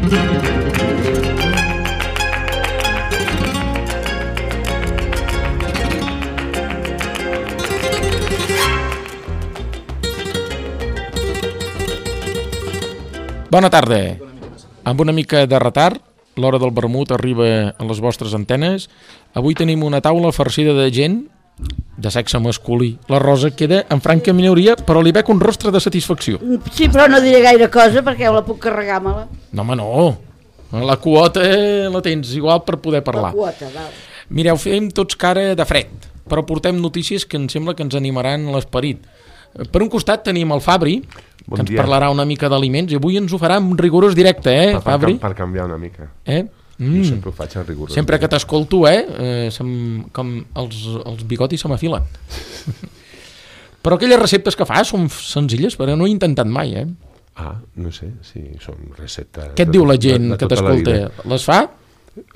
Bona tarda. Amb una mica de retard, l'hora del vermut arriba a les vostres antenes. Avui tenim una taula farcida de gent de sexe masculí. La Rosa queda en franca minoria, però li veig un rostre de satisfacció. Sí, però no diré gaire cosa perquè la puc carregar-me-la. No, home, no. La quota la tens igual per poder parlar. La quota, val. Mireu, fem tots cara de fred, però portem notícies que em sembla que ens animaran l'esperit. Per un costat tenim el Fabri, que ens parlarà una mica d'aliments, i avui ens ho farà en rigorós directe, Fabri? Per canviar una mica. Jo sempre ho faig en rigorós. Sempre que t'escolto, com els bigotis se m'afilen. Però aquelles receptes que fas són senzilles, però no he intentat mai, No sé, si són receptes... Què et diu la gent que t'escolta? Les fa?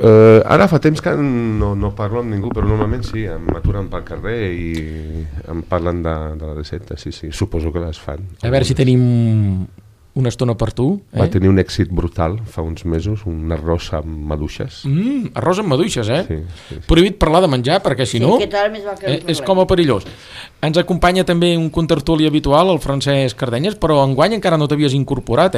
Ara fa temps que no parlo amb ningú, però normalment sí, m'aturen pel carrer i em parlen de la recepta, sí, suposo que les fan. A veure si tenim una estona per tu. Va tenir un èxit brutal fa uns mesos, un arròs amb maduixes. Arròs amb maduixes, Sí. Prohibit parlar de menjar, perquè si no és com a perillós. Ens acompanya també un contertuli habitual, el Francesc Cardenyes, però enguany encara no t'havies incorporat,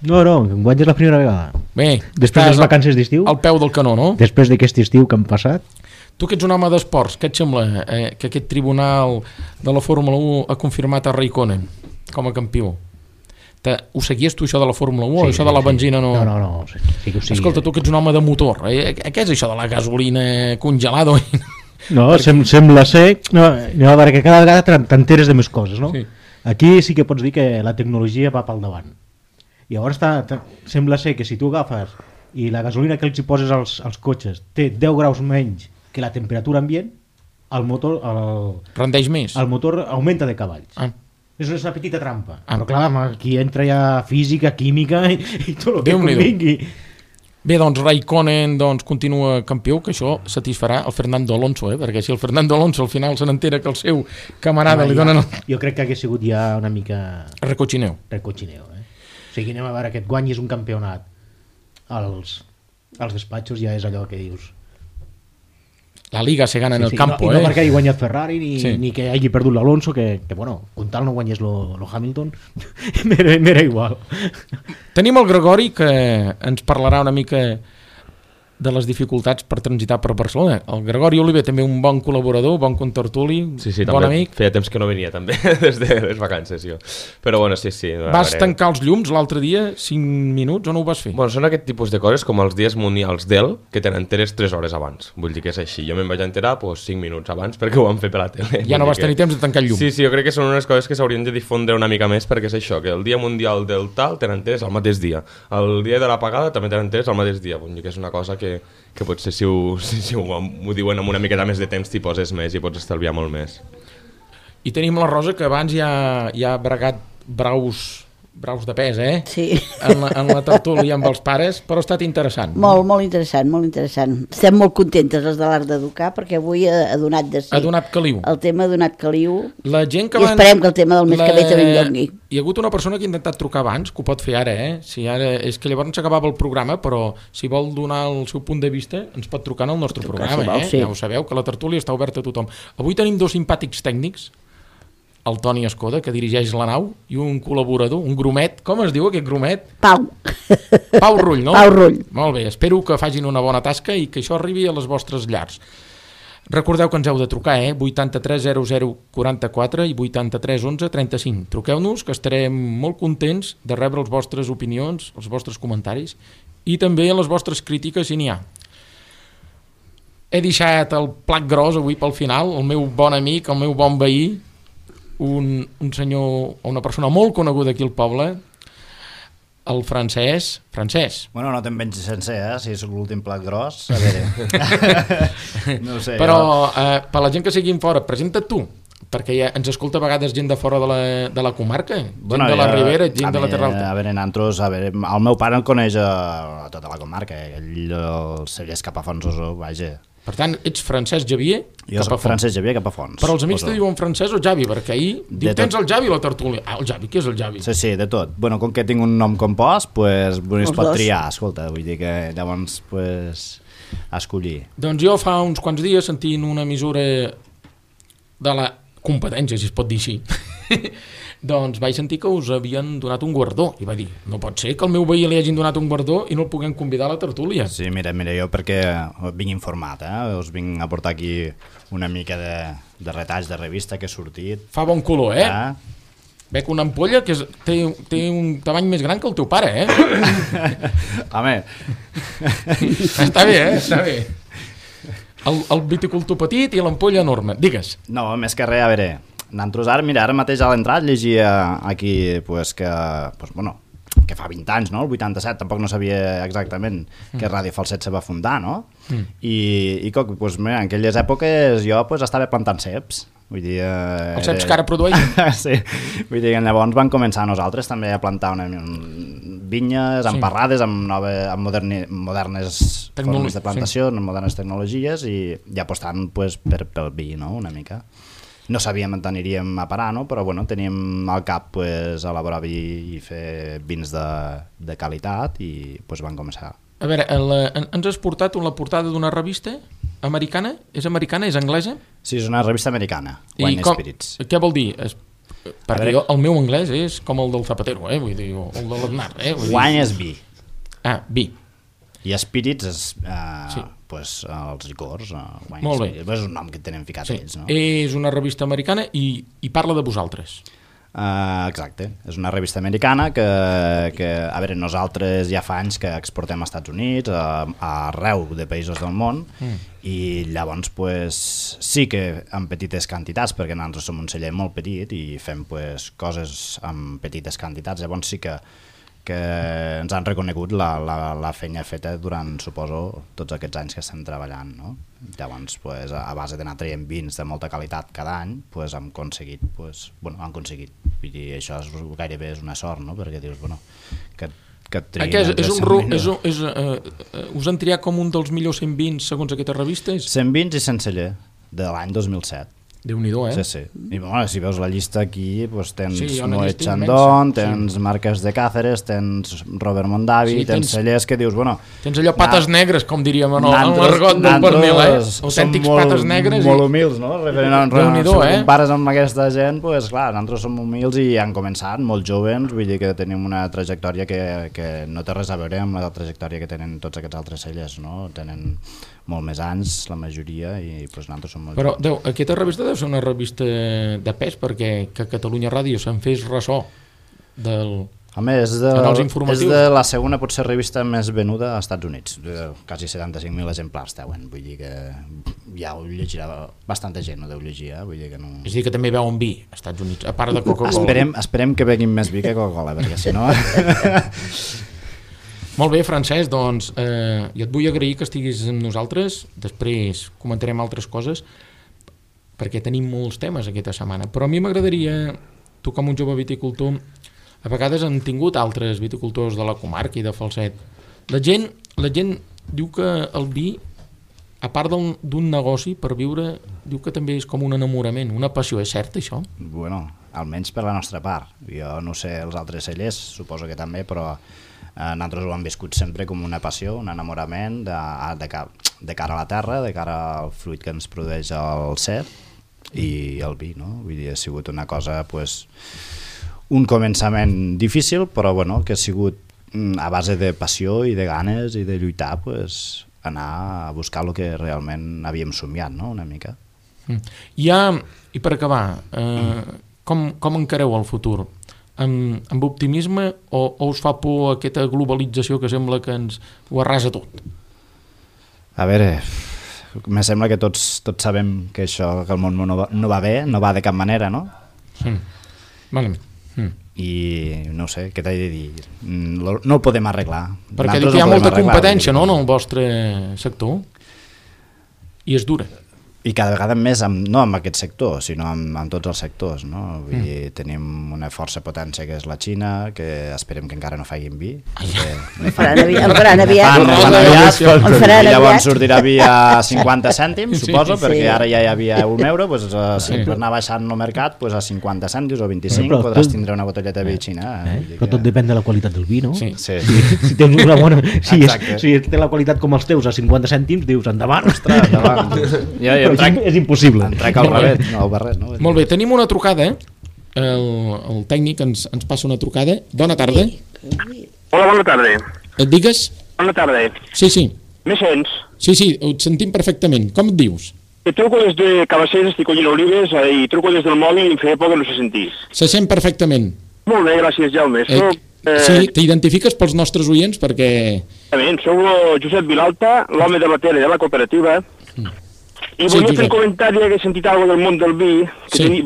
No, enguany és la primera vegada. Bé, després de les vacances d'estiu. Al peu del canó, no? Després d'aquest estiu que han passat. Tu que ets un home d'esports, què et sembla que aquest tribunal de la Fórmula 1 ha confirmat a Raikkonen com a campió? Ho seguies tu, això de la Fórmula 1 o això de la benzina no? No, sí que ho seguia. Escolta, tu que ets un home de motor, què és això de la gasolina congelada? No, sembla ser... No, a veure, que cada vegada t'enteres de més coses, no? Sí. Aquí sí que pots dir que la tecnologia va pel davant. I llavors sembla ser que si tu agafes i la gasolina que els hi poses als cotxes té 10 graus menys que la temperatura ambient, el motor... Rendeix més? El motor augmenta de cavalls. És una petita trampa. Però clar, aquí entra ja física, química i tot el que convingui. Bé, doncs Raikkonen continua campió, que això satisfarà el Fernando Alonso, perquè si el Fernando Alonso al final se n'entera que el seu camarada li donen... Jo crec que hagués sigut ja una mica... Recochineo. O sigui, anem a veure, aquest guany és un campionat. Els despatxos ja és allò que dius. La Liga se gana en el campo, no perquè hagi guanyat Ferrari ni que hagi perdut l'Alonso, que bueno, comptant no guanyés lo Hamilton, m'era igual. Tenim el Gregori, que ens parlarà una mica de les dificultats per transitar per Barcelona. El Gregori Oliver, també un bon col·laborador, bon contertuli, bon amic. Feia temps que no venia també, des de les vacances, jo. Però bueno, sí. Vas tancar els llums l'altre dia, 5 minuts, o no ho vas fer? Bueno, són aquest tipus de coses com els dies mundials d'EL, que te n'enteres 3 hores abans. Vull dir que és així. Jo me'n vaig enterar 5 minuts abans perquè ho van fer per la tele. Ja no vas tenir temps de tancar el llum. Sí, jo crec que són unes coses que s'haurien de difondre una mica més, perquè és això, que el dia mundial del tal te n'enteres al mateix dia. El dia de l'apagada també te n'enteres al mateix dia. Vull dir que és una cosa que potser si ho diuen amb una miqueta més de temps t'hi poses més i pots estalviar molt més. I tenim la Rosa, que abans ja ha bregat braus de pes, Sí. En la tertúlia amb els pares, però ha estat interessant. Molt interessant. Estem molt contentes les de l'Art d'Educar perquè avui ha donat de sí. Ha donat caliu. El tema ha donat caliu. La gent que I esperem que el tema del mes que ve també doni. Hi ha hagut una persona que ha intentat trucar abans, que ho pot fer ara, Si ara és que llavors s'acabava el programa, però si vol donar el seu punt de vista, ens pot trucar en el nostre programa, Sí. Ja ho sabeu, que la tertúlia està oberta a tothom. Avui tenim 2 simpàtics tècnics, el Toni Escoda, que dirigeix la nau, i un col·laborador, un grumet. Com es diu aquest grumet? Pau Rull, no? Pau Rull. Molt bé, espero que facin una bona tasca i que això arribi a les vostres llars. Recordeu que ens heu de trucar, 83 00 44 i 83 11 35. Truqueu-nos, que estarem molt contents de rebre les vostres opinions, els vostres comentaris i també les vostres crítiques, si n'hi ha. He deixat el plat gros avui pel final, el meu bon amic, el meu bon veí, un senyor o una persona molt coneguda aquí al poble, el Francesc. Bueno, no te'n menys sencer, si és l'últim plat gros, a veure. No ho sé. Però per la gent que sigui fora, presenta't tu, perquè ja ens escolta a vegades gent de fora de la comarca, gent de la Ribera, gent de la Terra Alta. A veure, nosaltres, el meu pare el coneix a tota la comarca, ell el segueix cap a Fonsoso, vaja. Per tant, ets Francesc Xavier Jo cap a soc fons. Francesc Xavier cap a fons. Però els amics Poso. te diuen Francesc o Javi, perquè ahir diu, tot. tens el Javi a la tertúlia. Ah, el Javi, qui és el Javi? Sí, de tot. Bueno, com que tinc un nom compost, pues, es Els pot dos. triar, escolta, vull dir que llavors, pues, escollir. Doncs jo fa uns quants dies sentint una emissora de la competència, si es pot dir així, doncs vaig sentir que us havien donat un guardó i va dir, no pot ser que al meu veí li hagin donat un guardó i no el puguem convidar a la tertúlia. Sí, mira, jo perquè vinc informat, us vinc a portar aquí una mica de retalls de revista que he sortit. Fa bon color, Veig una ampolla que té un tamany més gran que el teu pare, Home, Està bé, Està bé. El viticultor petit i l'ampolla enorme. Digues. no, més que res, a veure, nosaltres ara mateix a l'entrat llegia aquí pues, que fa 20 anys, no? El 87, tampoc no sabia exactament que Ràdio Falset se va fundar, no? I pues, mira, en aquelles èpoques jo pues, estava plantant ceps. Vull dir, Els ceps que ara produeixen? Sí, vull dir que llavors van començar nosaltres també a plantar vinyes, emparrades amb modernes formes de plantació, amb modernes tecnologies i apostant pues, pel vi, no? Una mica. No sabíem on aniríem a parar, no? Però bueno, teníem al cap pues, elaborar vi i fer vins de qualitat i pues, van començar. A veure, ens has portat la portada d'una revista americana? És americana? És anglesa? Sí, és una revista americana, Wine Spirits. Què vol dir? Perquè el meu anglès és com el del Zapatero, vull dir, o el de l'Aznar. Wine és vi. Ah, vi. I Spirits és pues, els licors. Molt bé. És un nom que tenen ficat ells, no? És una revista americana i parla de vosaltres. Exacte, és una revista americana que a veure, nosaltres ja fa anys que exportem als Estats Units, arreu de països del món, i llavors pues, sí que en petites quantitats, perquè nosaltres som un celler molt petit i fem pues, coses en petites quantitats, llavors sí que ens han reconegut la feina feta durant, suposo, tots aquests anys que estem treballant, no? Llavors, pues, a base d'anar traient vins de molta qualitat cada any, pues, han aconseguit. Vull dir, això gairebé és una sort, no? Perquè dius, que et triïn... Us han triat com un dels millors 100 vins segons aquesta revista? 100 vins i 100 celler, de l'any 2007. Déu-n'hi-do, Sí. I si veus la llista aquí, pues, tens Moet llista Chandon, immensa. tens Marques de Cáceres, tens Robert Mondavi, tens cellers que dius, Tens allò pates negres, com diríem en l'argot del pernil, autèntics pates negres. Molt humils, no? Déu-n'hi-do, Si compares amb aquesta gent, pues, clar, nosaltres som humils i han començat molt joves, vull dir que tenim una trajectòria que no té res a veure amb la trajectòria que tenen tots aquests altres cellers, no? Tenen molt més anys, la majoria, i pues, nosaltres som molt Però joves. aquesta revista deu ser una revista de pes, perquè que Catalunya Ràdio se'n fes ressò del... Home, és de la segona potser revista més venuda als Estats Units, quasi 75.000 exemplars deuen, vull dir que ja ho llegirà bastanta gent, ho deu llegir, vull dir que no... És a dir, que també veuen vi als Estats Units, a part de Coca-Cola. Esperem que beguin més vi que Coca-Cola, perquè si no... Molt bé, Francesc, doncs jo et vull agrair que estiguis amb nosaltres, després comentarem altres coses, perquè tenim molts temes aquesta setmana, però a mi m'agradaria, tu com un jove viticultor, a vegades han tingut altres viticultors de la comarca i de Falset. La gent diu que el vi, a part d'un negoci per viure, diu que també és com un enamorament, una passió, és cert això? Bueno, almenys per la nostra part. Jo no sé els altres cellers, suposo que també, però nosaltres ho hem viscut sempre com una passió, un enamorament de cara a la terra, de cara al fruit que ens produeix el cep i el vi, no? Vull dir, ha sigut una cosa, pues, un començament difícil, però bueno, que ha sigut a base de passió i de ganes i de lluitar, pues, anar a buscar el que realment havíem somiat, no? Una mica. I per acabar, com encareu el futur? Amb optimisme o us fa por aquesta globalització que sembla que ens ho arrasa tot? A veure, me sembla que tots sabem que això, que el món no va bé, no va de cap manera, no? Malament. I no sé, què t'he de dir? No ho podem arreglar. Perquè diu que hi ha molta competència, no?, en el vostre sector, i és dura. I cada vegada més, no amb aquest sector, sinó amb tots els sectors, no? Vull dir, tenim una força potència que és la Xina, que esperem que encara no facin vi. En faran aviat. I llavors sortirà vi a 50 cèntims, suposo, perquè ara ja hi havia €1, doncs, si per anar baixant el mercat, doncs a 50 cèntims o 25 podràs tindre una botelleta de vi xina. Però tot depèn de la qualitat del vi, no? Sí. Si tens una bona... Si té la qualitat com els teus a 50 cèntims, dius endavant. Ostres, endavant. És impossible. Entrec al barret, no al barret, no? Molt bé, tenim una trucada. El tècnic ens passa una trucada. Bona tarda. Hola, bona tarda. Et digues? Bona tarda. Sí. Me sents? Sí, et sentim perfectament. Com et dius? Truco des de Cabacés, estic collint olives, i truco des del mòbil i em feia por que no se sentís. Se sent perfectament. Molt bé, gràcies, Jaume. Sí, t'identifiques pels nostres oients perquè... Soc el Josep Vilalta, l'home de la tele de la cooperativa, i volia fer un comentari que he sentit alguna del món del vi,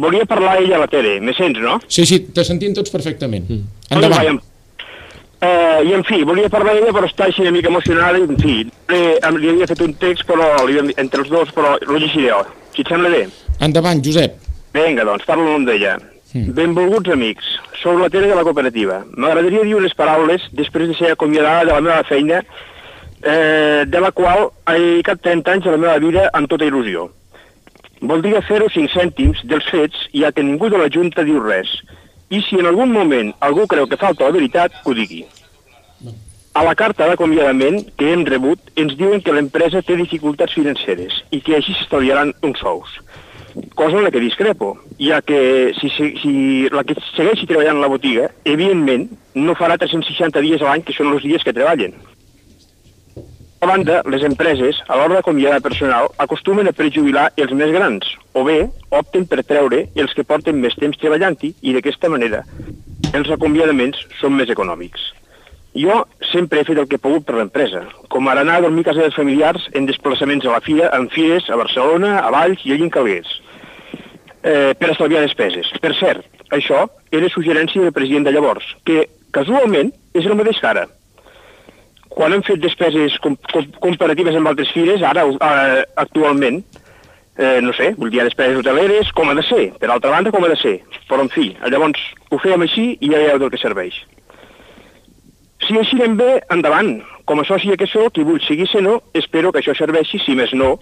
volia parlar ella a la tele. Me sents, no? Sí, te sentim tots perfectament. Endavant. I en fi, volia parlar ella, però està així una mica emocionada, i en fi, li havia fet un text entre els dos, però lo llegiré. Si et sembla bé? Endavant, Josep. Vinga, doncs, parlo amb d'ella. Benvolguts amics, sou la tele de la cooperativa. M'agradaria dir unes paraules després de ser acomiadada de la meva feina, de la qual he dedicat 30 anys de la meva vida amb tota il·lusió. Voldria fer-ho 5 cèntims dels fets, ja que ningú de la Junta diu res. I si en algun moment algú creu que falta la veritat, que ho digui. A la carta d'acomiadament que hem rebut ens diuen que l'empresa té dificultats financeres i que així s'estalviaran uns sous. Cosa en la que discrepo, ja que si la que segueixi treballant a la botiga, evidentment no farà 360 dies a l'any, que són els dies que treballen. A banda, les empreses, a l'hora d'acomiadar personal, acostumen a prejubilar els més grans, o bé opten per treure els que porten més temps treballant-hi i d'aquesta manera els acomiadaments són més econòmics. Jo sempre he fet el que he pogut per l'empresa, com ara anar a dormir a casa dels familiars en desplaçaments a la fira, en fires, a Barcelona, a Valls i allà en Calguers, per estalviar despeses. Per cert, això era suggerència del president de llavors, que casualment és el mateix que ara. Quan hem fet despeses comparatives amb altres fires, ara, actualment, no sé, vull dir, despeses hoteleres, com ha de ser, per altra banda, com ha de ser. Però, en fi, llavors ho fèiem així i ja veieu del que serveix. Si així anem bé, endavant. Com a soci que sóc i vull seguir sent-ho, espero que això serveixi, si més no,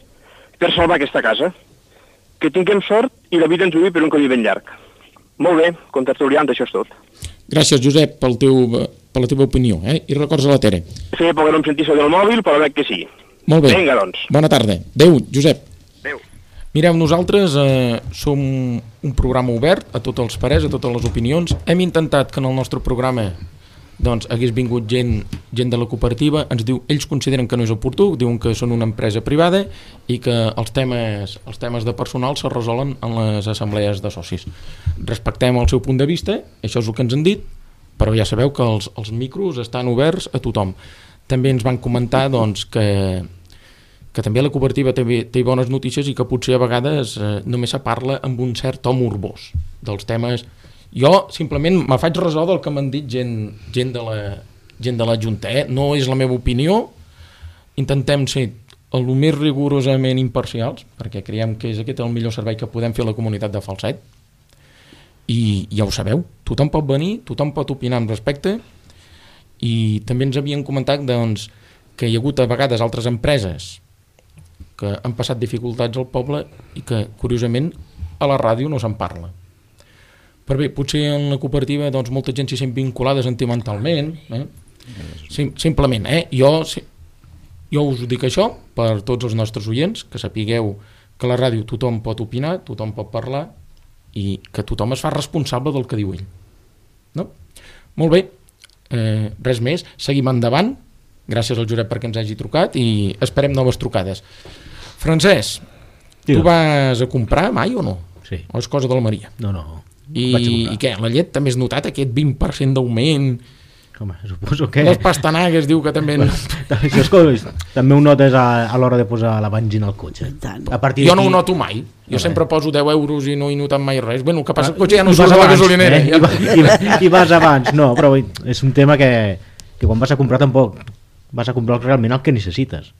per salvar aquesta casa. Que tinguem sort i la vida ens duï per un camí ben llarg. Molt bé, contertuliant, això és tot. Gràcies, Josep, per la teva opinió, i records a la Tere. Feia por que no em sentís del mòbil, però veig que sí. Molt bé. Vinga, doncs. Bona tarda. Adéu, Josep. Adéu. Mireu, nosaltres som un programa obert a tots els parers, a totes les opinions. Hem intentat que en el nostre programa hagués vingut gent de la cooperativa. Ells consideren que no és oportú, diuen que són una empresa privada i que els temes de personal se resolen en les assemblees de socis. Respectem el seu punt de vista, això és el que ens han dit, però ja sabeu que els micros estan oberts a tothom. També ens van comentar que també la cooperativa té bones notícies i que potser a vegades només se parla amb un cert to morbós dels temes. Jo simplement me faig ressò del que m'han dit gent de la Junta. No és la meva opinió, intentem ser el més rigorosament imparcials, perquè creiem que és aquest el millor servei que podem fer a la comunitat de Falset, i ja ho sabeu, tothom pot venir, tothom pot opinar amb respecte, i també ens havien comentat que hi ha hagut a vegades altres empreses que han passat dificultats al poble i que curiosament a la ràdio no se'n parla. Però bé, potser en la cooperativa molta gent s'hi sent vinculada sentimentalment, simplement, jo us dic això per tots els nostres oients, que sapigueu que a la ràdio tothom pot opinar, tothom pot parlar i que tothom es fa responsable del que diu ell. No? Molt bé, res més, seguim endavant, gràcies al Josep perquè ens hagi trucat i esperem noves trucades. Francesc, tu vas a comprar mai o no? Sí. O és cosa de la Maria? No. I què, la llet també has notat aquest 20% d'augment? Home, suposo que... Les pastanagues diu que també... Això és també ho notes a l'hora de posar la benzina al cotxe. Jo no ho noto mai. Jo sempre poso 10 euros i no he notat mai res. Bueno, el que passa el cotxe ja no surt a la gasolinera. I vas abans. No, però és un tema que quan vas a comprar tampoc vas a comprar realment el que necessites.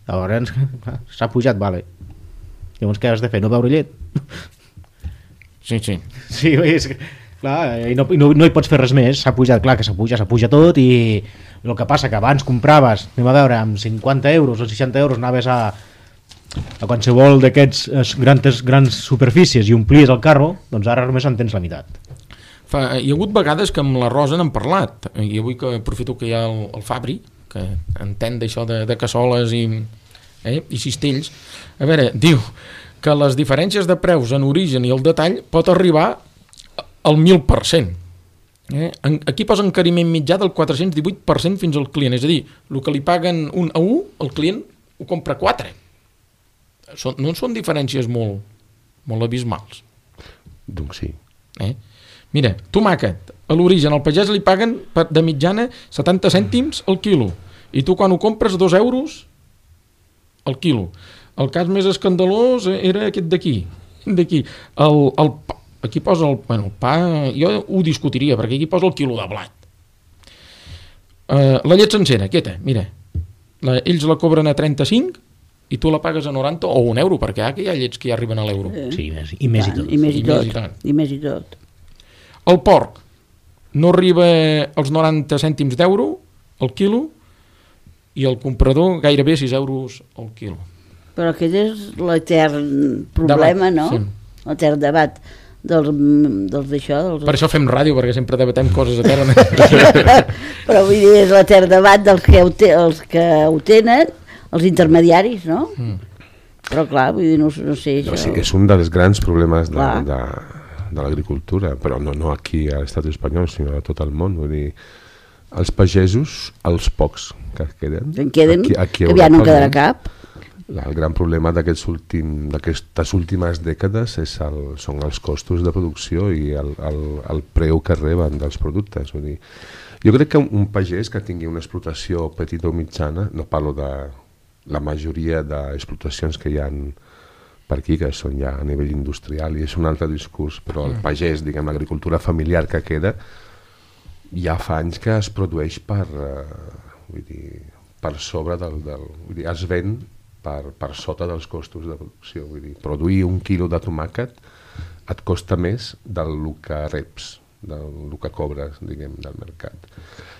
Llavors s'ha pujat, vale. Llavors què has de fer? No beure llet? Sí. Sí, és que, clar, i no hi pots fer res més. S'ha pujat, clar que s'apuja tot, i el que passa que abans compraves, anem a veure, amb 50 euros o 60 euros anaves a qualsevol d'aquests grans superfícies i omplies el carro, doncs ara només en tens la meitat. Hi ha hagut vegades que amb la Rosa n'hem parlat, i avui que aprofito que hi ha el Fabri, que entén d'això de cassoles i cistells. A veure, diu que les diferències de preus en origen i el detall pot arribar al 1.000%. Aquí posa encariment mitjà del 418% fins al client, és a dir, el que li paguen 1 a 1, el client ho compra 4. No són diferències molt abismals. Doncs sí. Mira, tomàquet, a l'origen al pagès li paguen de mitjana 70 cèntims al quilo, i tu quan ho compres 2 euros al quilo. El cas més escandalós era aquest d'aquí. Aquí posa el pa, jo ho discutiria, perquè aquí posa el quilo de blat. La llet sencera, quieta, mira, ells la cobren a 35 i tu la pagues a 90 o 1 euro, perquè hi ha llets que ja arriben a l'euro. Sí, i més i tot. I més i tot. El porc no arriba als 90 cèntims d'euro al quilo i el comprador gairebé 6 euros al quilo. Però aquest és l'etern problema, no? Sí. L'etern debat dels d'això. Per això fem ràdio, perquè sempre debatem coses eternes. Però vull dir, és l'etern debat dels que ho tenen, els intermediaris, no? Però clar, vull dir, no sé això. Sí, és un dels grans problemes de l'agricultura, però no aquí a l'estat espanyol, sinó a tot el món. Vull dir, els pagesos, els pocs que queden... Que ja no quedarà cap. El gran problema d'aquestes últimes dècades són els costos de producció i el preu que reben dels productes. Vull dir, jo crec que un pagès que tingui una explotació petita o mitjana, no parlo de la majoria d'explotacions que hi ha per aquí, que són ja a nivell industrial, i és un altre discurs, però el pagès, diguem, l'agricultura familiar que queda, ja fa anys que es produeix per sobre vull dir, es ven per sota dels costos de producció. Vull dir, produir 1 quilo de tomàquet et costa més del que reps, del que cobres, diguem, del mercat.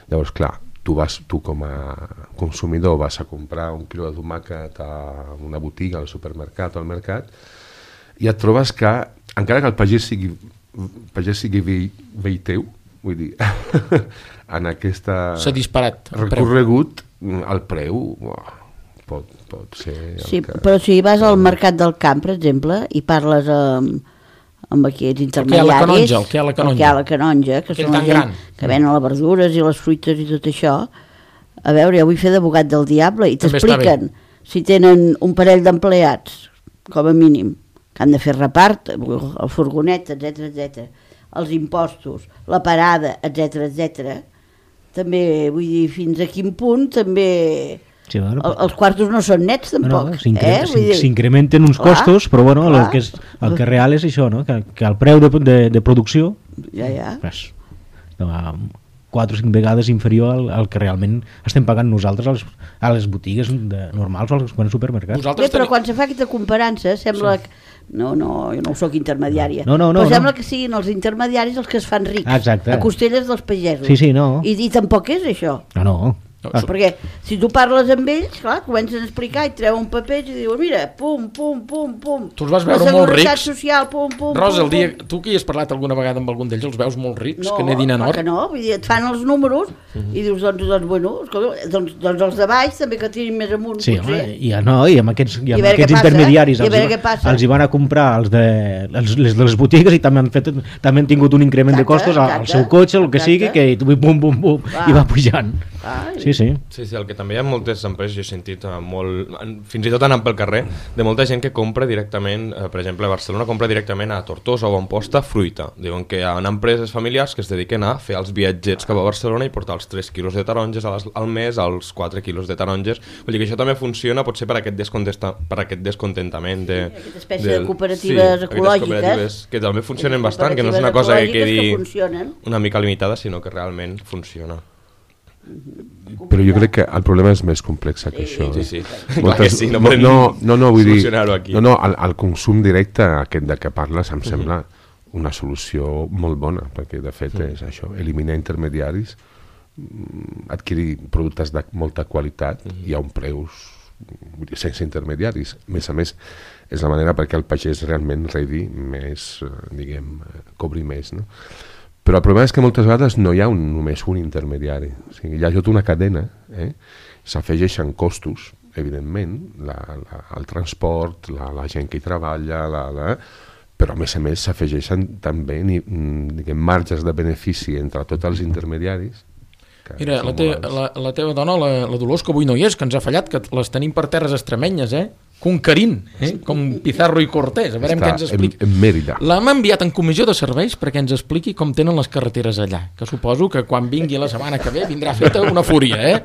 Llavors, clar, tu com a consumidor vas a comprar 1 quilo de tomàquet a una botiga, al supermercat o al mercat, i et trobes que, encara que el pagès sigui vell teu, vull dir, en aquesta recorregut, el preu pot ser... Sí, però si vas al mercat del camp, per exemple, i parles amb aquests intermediaris, el que hi ha a la canonja, que són la gent que venen les verdures i les fruites i tot això, a veure, jo vull fer d'abogat del diable, i t'expliquen si tenen un parell d'empleats, com a mínim, que han de fer repart, el furgonet, etc, els impostos, la parada, etc, també, vull dir, fins a quin punt també... Sí, bueno, els quartos no són nets tampoc. S'incrementen uns costos, però bueno, el que real és això, no? Que el preu de producció és 4 o 5 vegades inferior al que realment estem pagant nosaltres a les botigues normals o als supermercats. Però quan se fa aquesta comparança sembla que... No, jo no soc intermediària. Però sembla que siguin els intermediaris els que es fan rics a costelles dels pagesos. Sí, no. I tampoc és això. No. Perquè si tu parles amb ells, clar, comencen a explicar i treuen papers i diuen, mira, pum. Tu els vas veure molt rics? Social, pum. Rosa, tu que hi has parlat alguna vegada amb algun d'ells, els veus molt rics, que n'edin en or? No, vull dir, et fan els números i dius, doncs bueno, doncs els de baix també que tirin més amunt. Sí, home, i amb aquests intermediaris els hi van a comprar les de les botigues i també han tingut un increment de costos al seu cotxe, el que sigui, que pum, i va pujant. Sí, el que també hi ha moltes empreses, jo he sentit molt, fins i tot anant pel carrer, de molta gent que compra directament, per exemple a Barcelona compra directament a Tortosa o a Amposta fruita. Diuen que hi ha empreses familiars que es dediquen a fer els viatgets cap a Barcelona i portar els 3 quilos de taronges al mes, els 4 quilos de taronges. Vull dir que això també funciona potser per aquest descontentament aquesta espècie de cooperatives ecològiques que també funcionen bastant, que no és una cosa que quedi una mica limitada, sinó que realment funciona. Però jo crec que el problema és més complex que això. Sí. Clar que sí, no podem solucionar-ho aquí. El consum directe aquest de què parles em sembla una solució molt bona, perquè de fet és això, eliminar intermediaris, adquirir productes de molta qualitat i a un preus sense intermediaris. A més, és la manera perquè el pagès realment rebi més, cobri més, no? Però el problema és que moltes vegades no hi ha només un intermediari, o sigui, hi ha tota una cadena, s'afegeixen costos, evidentment, el transport, la gent que hi treballa, però a més s'afegeixen també marges de benefici entre tots els intermediaris. Mira, la teva dona, la Dolors, que avui no hi és, que ens ha fallat, que les tenim per terres extremenyes, conquerint, com Pizarro i Cortés. A veure què ens explica. En Mèrida. L'hem enviat en comissió de serveis perquè ens expliqui com tenen les carreteres allà, que suposo que quan vingui la setmana que ve vindrà feta una fúria,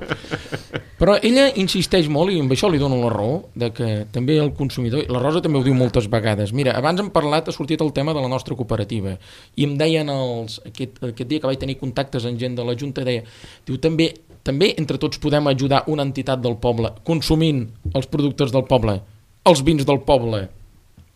Però ella insisteix molt, i amb això li dono la raó, de que també el consumidor, la Rosa també ho diu moltes vegades, mira, abans hem parlat, ha sortit el tema de la nostra cooperativa, i em deien aquest dia que vaig tenir contactes amb gent de la Junta, diu, també entre tots podem ajudar una entitat del poble, consumint els productes del poble, els vins del poble,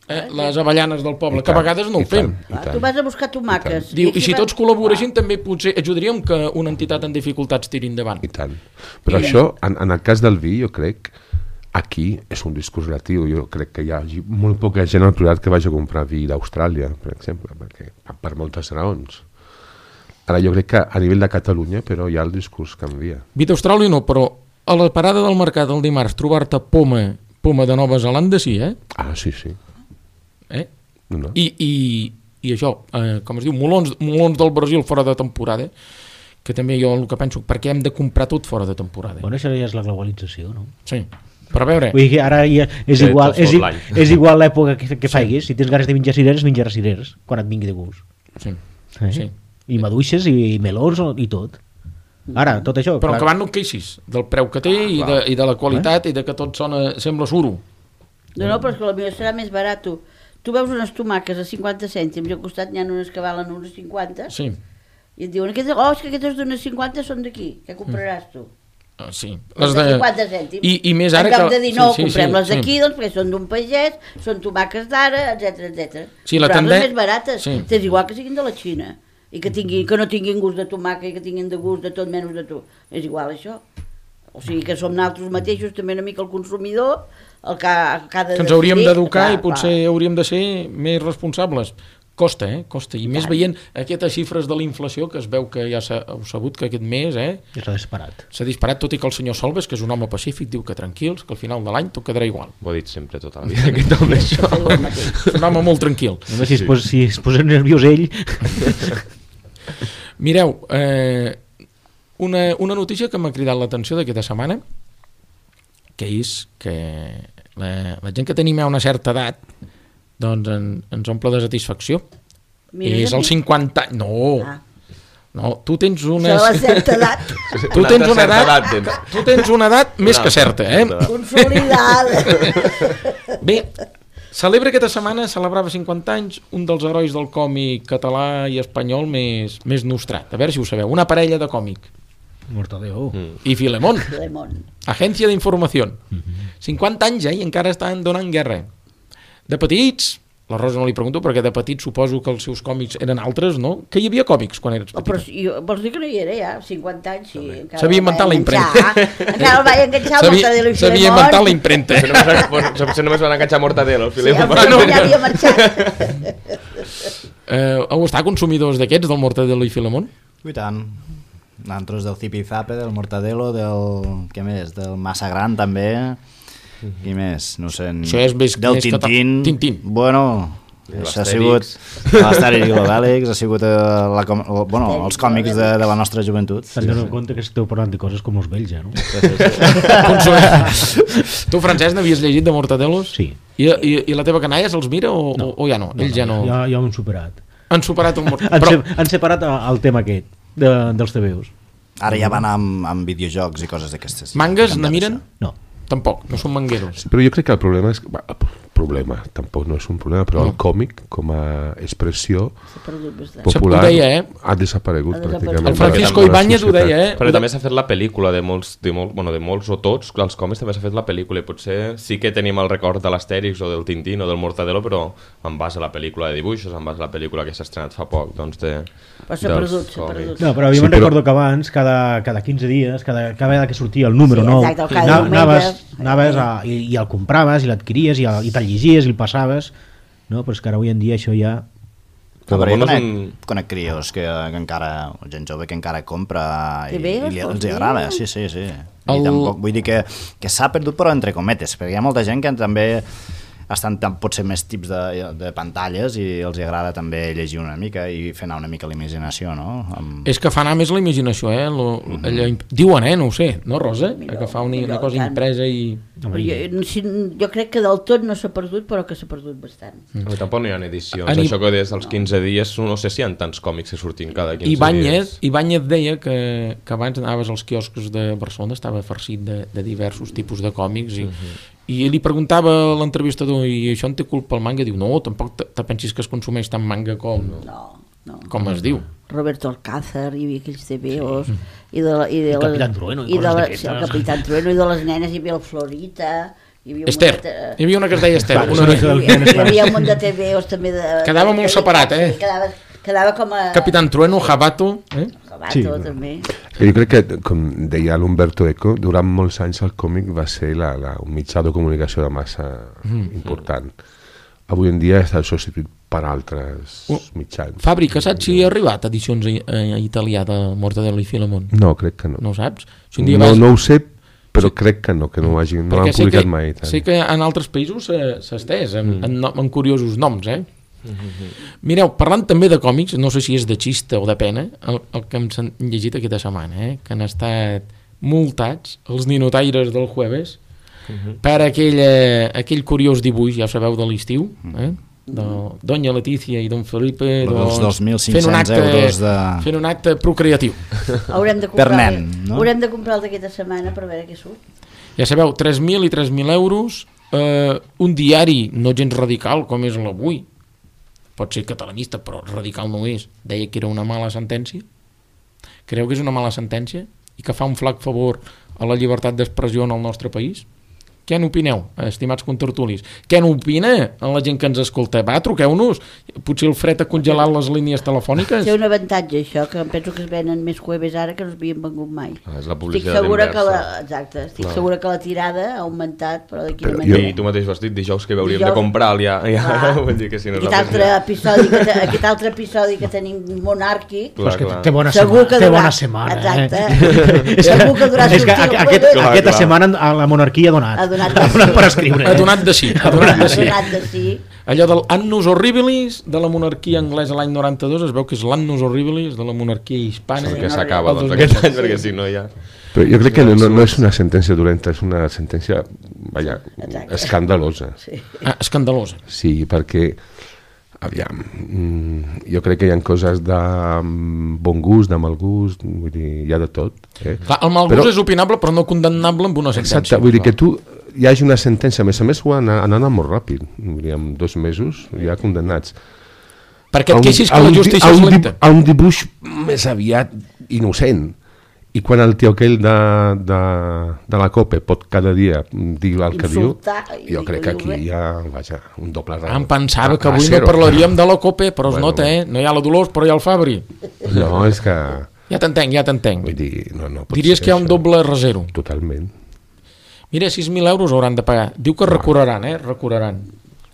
les avellanes del poble, que a vegades no ho fem. Tu vas a buscar tomàquets. Diu, i si tots col·laboréssim també potser ajudaríem que una entitat en dificultats tiri endavant. I tant. Però això, en el cas del vi, jo crec, aquí és un discurs relatiu. Jo crec que hi ha molt poca gent al Priorat que vagi a comprar vi d'Austràlia, per exemple, per moltes raons. Ara jo crec que a nivell de Catalunya, però ja el discurs canvia. Vi d'Austràlia no, però a la parada del mercat del dimarts trobar-te poma de Nova Zelanda sí, Ah, sí. No. I això, com es diu, molons del Brasil fora de temporada, que també jo el que penso, perquè hem de comprar tot fora de temporada. Bueno, això ja és la globalització, no? Sí, però a veure... Vull dir que ara ja és igual l'època que faiguis, si tens ganes de menjar cireres, menjaràs cireres, quan et vingui de gust. Sí. I maduixes i melons i tot. Ara, tot això... Però que van no et queixis del preu que té i de la qualitat i de que tot sembla suro. No, però és que potser serà més barat. Tu veus unes tomàquets a 50 cèntims i al costat n'hi ha unes que valen unes 50 i et diuen, és que aquestes d'unes 50 són d'aquí, què compraràs tu? Sí. Les de 50 cèntims. I més ara en lloc de dir no, comprem les d'aquí, doncs perquè són d'un pagès, són tomàquets d'ara, etc. Sí, però les més barates, és igual que siguin de la Xina i que no tinguin gust de tomàquet i que tinguin de gust de tot menys de tu. És igual això. O sigui que som nosaltres mateixos també una mica el consumidor el que ha de ens hauríem d'educar i potser hauríem de ser més responsables. Costa, costa. I més veient aquestes xifres de la inflació que es veu que ja heu sabut que aquest mes s'ha disparat, tot i que el senyor Solves, que és un home pacífic, diu que tranquils, que al final de l'any tot quedarà igual. Ho ha dit sempre tota la vida aquest home, això. És un home molt tranquil. Si es posa nerviós ell... Mireu, una notícia que m'ha cridat l'atenció d'aquesta setmana, que és que la gent que tenim a una certa edat doncs ens omple de satisfacció. És els 50 anys. No, tu tens una... Això de la certa edat. Tu tens una edat més que certa, Consolidada. Bé, celebra aquesta setmana, celebrava 50 anys, un dels herois del còmic català i espanyol més nostrat. A veure si ho sabeu. Una parella de còmic. Mortadelo. I Filemón. Agència d'informació. 50 anys, i encara estan donant guerra. De petits, la Rosa no li pregunto, perquè de petits suposo que els seus còmics eren altres, no? Que hi havia còmics quan eres petita? Però vols dir que no hi era ja, 50 anys, sí. S'havia inventat la impremta. Encara el vaig enganxar el Mortadelo i Filemón. S'havia inventat la impremta. Potser només van enganxar Mortadelo, el Filemón. Sí, ja havia marxat. Heu estat consumidors d'aquests, del Mortadelo i Filemón? I tant. Nosaltres del Zipi-Zape, del Mortadelo, què més? Del Massa Gran també. I més, no sé, del Tintín. Bueno, això ha sigut l'Astèrix i l'Obèlix, ha sigut els còmics de la nostra joventut. Te'n dono compte que esteu parlant de coses com els vells, no? Tu, Francesc, n'havies llegit de Mortadelos? Sí. I la teva canalla se'ls mira o ja no? Ells ja no... Ja ho han superat. Han superat el Mortadelo. Han separat el tema aquest dels TVOs. Ara ja van amb videojocs i coses d'aquestes. Mangas ne miren? No. Tampoc, no són mangueros. Sí, però jo crec que el problema és que problema, tampoc no és un problema, però el còmic com a expressió popular ha desaparegut pràcticament. El Francisco Ibáñez ho deia, Però també s'ha fet la pel·lícula de molts o tots, els còmics també s'ha fet la pel·lícula i potser sí que tenim el record de l'Astèrix o del Tintín o del Mortadelo, però en base a la pel·lícula de dibuixos, en base a la pel·lícula que s'ha estrenat fa poc, doncs però s'ha perdut. No, però jo me'n recordo que abans, cada 15 dies, cada vegada que sortia el número nou, anaves i el compraves i l'adquiries i te'l llegies i el passaves, no? Però és que ara avui en dia això ja... Però jo conec crios que encara, gent jove que encara compra i els agrada, sí. I tampoc vull dir que s'ha perdut, però entre cometes, perquè hi ha molta gent que també estan potser més tips de pantalles i els agrada també llegir una mica i fer anar una mica la imaginació, no? És que fa anar més la imaginació, diuen, no ho sé, no, Rosa? Que fa una cosa impresa i... Jo crec que del tot no s'ha perdut, però que s'ha perdut bastant. Tampoc no hi ha edicions, això que des dels 15 dies no sé si hi ha tants còmics que sortin cada 15 dies. Ibáñez deia que abans anaves als quioscos de Barcelona, estava farcit de diversos tipus de còmics i li preguntava a l'entrevistador, i això en té culpa el manga? Diu, no, tampoc te pensis que es consumeix tant manga com es diu. Roberto Alcázar, hi havia aquells TVOs i el Capitán Trueno i el Capitán Trueno i de les nenes hi havia el Florita, Esther, hi havia una que es deia Esther, hi havia un munt de TVOs també quedava molt separat, quedava com a... Capitán Trueno, Jabato també. Jo crec que, com deia l'Umberto Eco, durant molts anys el còmic va ser un mitjà de comunicació de massa important. Avui en dia està substituït per altres mitjans. Fabri, que saps si ha arribat edicions a italià de Mortadelo i Filemón? No, crec que no. No ho saps? No ho sé, però crec que no ho han publicat mai. Sé que en altres països s'ha estès, amb curiosos noms, Mireu, parlant també de còmics, no sé si és de xista o de pena, el que hem llegit aquesta setmana, que han estat multats els ninotaires del Jueves per aquell curiós dibuix, ja ho sabeu, de l'estiu, de Doña Letícia i Don Felipe, dels 2.500 euros fent un acte procreatiu. Haurem de comprar el d'aquesta setmana per veure què surt. Ja sabeu, 3.000 i 3.000 euros, un diari no gens radical com és l'Avui, pot ser catalanista però radical no és, deia que era una mala sentència. Creu que és una mala sentència i que fa un flac favor a la llibertat d'expressió en el nostre país? Què n'opineu, estimats contertulis? Què n'opina la gent que ens escolta? Va, truqueu-nos. Potser el fred ha congelat les línies telefòniques. Té un avantatge, això, que em penso que es venen més Jueves ara que no s'havien vengut mai. És la publicitat inversa. Estic segura que la tirada ha augmentat, però de quina manera. I tu mateix vas dir dijous que hauríem de comprar ja. Vull dir que si no aquest altre episodi que tenim monàrquic, té bona setmana. Exacte. Segur que durà aquesta setmana la monarquia ha donat. Ha donat de sí. Allò del Annus Horribilis de la monarquia anglesa l'any 92 es veu que és l'Annus Horribilis de la monarquia hispana que s'acaba aquest any, perquè si no ja... Però jo crec que no és una sentència dolenta, és una sentència escandalosa. Escandalosa. Sí, perquè aviam, jo crec que hi ha coses de bon gust, de mal gust, vull dir, hi ha de tot. Clar, el mal gust és opinable però no condemnable amb una sentència. Exacte, vull dir que tu hi hagi una sentència, a més ho han anat molt ràpid, vull dir, en 2 mesos ja condemnats. Perquè et queixis que la justícia és lenta. A un dibuix més aviat innocent. I quan el tio aquell de la COPE pot cada dia dir el que diu, jo crec que aquí hi ha un doble raó. Em pensava que avui no parlaríem de la COPE, però es nota, no hi ha la Dolors, però hi ha el Fabri. No, és que... Ja t'entenc. Vull dir, no diries que hi ha un doble rasero. Totalment. Mira, 6.000 euros hauran de pagar. Diu que recorreran, recorreran.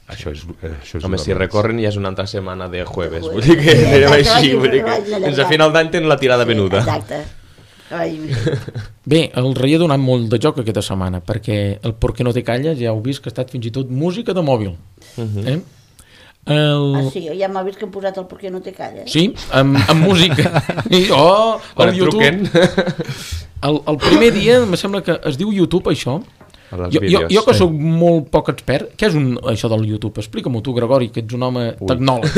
Això és home, si recorren ja és una altra setmana de Jueves, vull dir que anirem així, vull dir que fins a final d'any tenen la tirada venuda. Exacte. Bé, el rei ha donat molt de joc aquesta setmana, perquè el Por qué no te calles ja heu vist que ha estat fins i tot música de mòbil. Sí, ja m'ha vist que hem posat el Por qué no te calles. Sí, amb música. El YouTube. El primer dia em sembla que es diu YouTube això. Jo que soc molt poc expert, què és això del YouTube? Explica-m'ho tu, Gregori, que ets un home tecnòleg.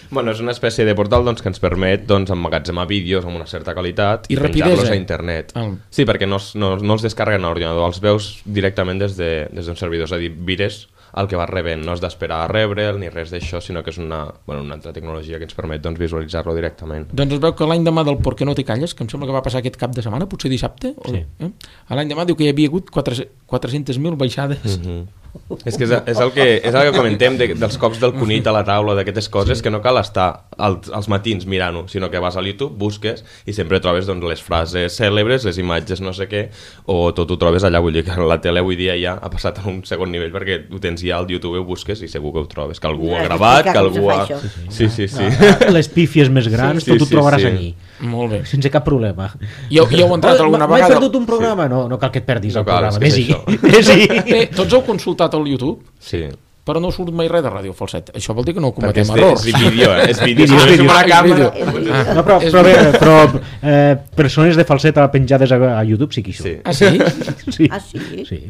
Bueno, és una espècie de portal que ens permet emmagatzemar vídeos amb una certa qualitat i penjar-los a internet. Sí, perquè no els descarreguen a l'ordinador, els veus directament des d'un servidor, és a dir, vires el que vas rebent. No has d'esperar a rebre'l ni res d'això, sinó que és una altra tecnologia que ens permet doncs, visualitzar-lo directament. Doncs es veu que l'any demà del ¿Por qué no te calles?, que em sembla que va passar aquest cap de setmana, potser dissabte, sí. L'any demà diu que hi havia hagut 400.000 baixades. És que és el que comentem dels cops del conill a la taula, d'aquestes coses, que no cal estar als matins mirant-ho, sinó que vas a YouTube, busques i sempre trobes doncs, les frases cèlebres, les imatges no sé què, o tot ho trobes allà. Vull dir que la tele avui dia ja ha passat a un segon nivell perquè ho tens ja al YouTube, ho busques i segur que ho trobes, que algú ho ha gravat, que algú ha... Sí. Les pífies més grans, tot ho trobaràs allí. Molt bé. Sense cap problema. I heu entrat alguna vegada... M'he perdut un programa? No cal que et perdis el programa. Vés-hi. Tots heu consultat al YouTube? Sí. Però no surt mai res de Ràdio Falset. Això vol dir que no cometem errors. És vídeo, és vídeo. Però persones de Falset penjades a YouTube sí que hi són. Sí. Ah, sí? Sí.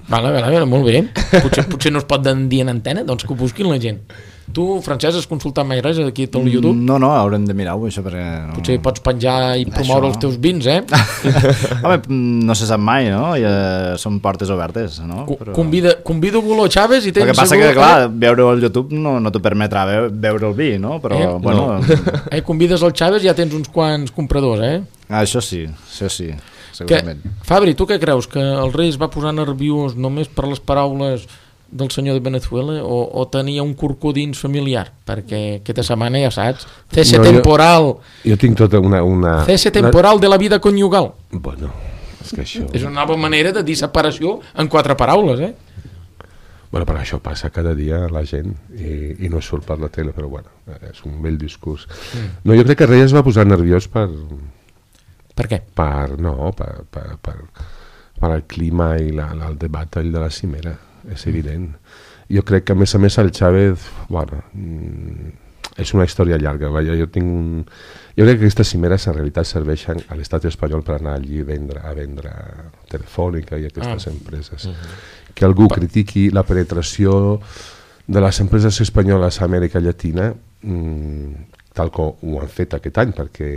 Vale, molt bé. Potser no es pot dir en antena, doncs que ho busquin la gent. Tu, Francesc, has consultat mai res aquí a tot el YouTube? No, haurem de mirar-ho, això, perquè... No... Potser pots penjar i promoure els teus vins, Home, no se sap mai, no? Són portes obertes, no? Però... Convido Guló Chávez i tens... El que passa que, clar, veure el YouTube no t'ho permetrà veure el vi, no? Però, bueno... Convides el Chávez i ja tens uns quants compradors, Això sí, segurament. Fabri, tu què creus? Que el rei es va posar nerviós només per les paraules del senyor de Venezuela o tenia un corcodins familiar? Perquè aquesta setmana ja saps, cese temporal. Jo tinc tota una... Cese temporal de la vida conyugal. Bueno, és que això... És una nova manera de dir separació en 4 paraules, Bueno, però això passa cada dia a la gent i no surt per la tele, però bueno, és un vell discurs. No, jo crec que el rei es va posar nerviós per... Per què? Per el clima i el debat de la cimera, és evident. Jo crec que a més el Chávez, bueno, és una història llarga. Jo crec que aquestes cimeres en realitat serveixen a l'estat espanyol per anar allí a vendre Telefònica i aquestes empreses. Que algú critiqui la penetració de les empreses espanyoles a Amèrica Llatina, tal com ho han fet aquest any, perquè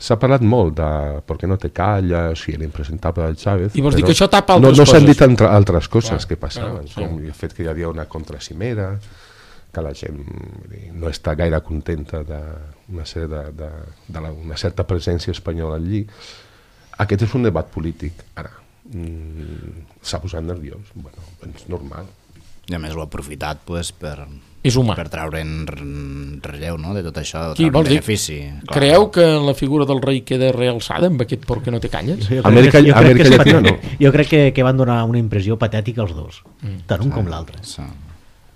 s'ha parlat molt de ¿Por qué no te callas? I l'impresentable del Chávez. I vols dir que això tapa altres coses? No s'han dit altres coses que passaven, com el fet que hi havia una contracimera, que la gent no està gaire contenta d'una certa presència espanyola allí. Aquest és un debat polític. Ara, s'ha posat nerviós. Bueno, és normal. I a més l'ha aprofitat per treure en relleu, no?, de tot això, treure un benefici. Creieu que la figura del rei queda realçada amb aquest ¿Por qué no te calles? Amèrica Llatina no. Jo crec que van donar una impressió patètica els dos, tant un com l'altre.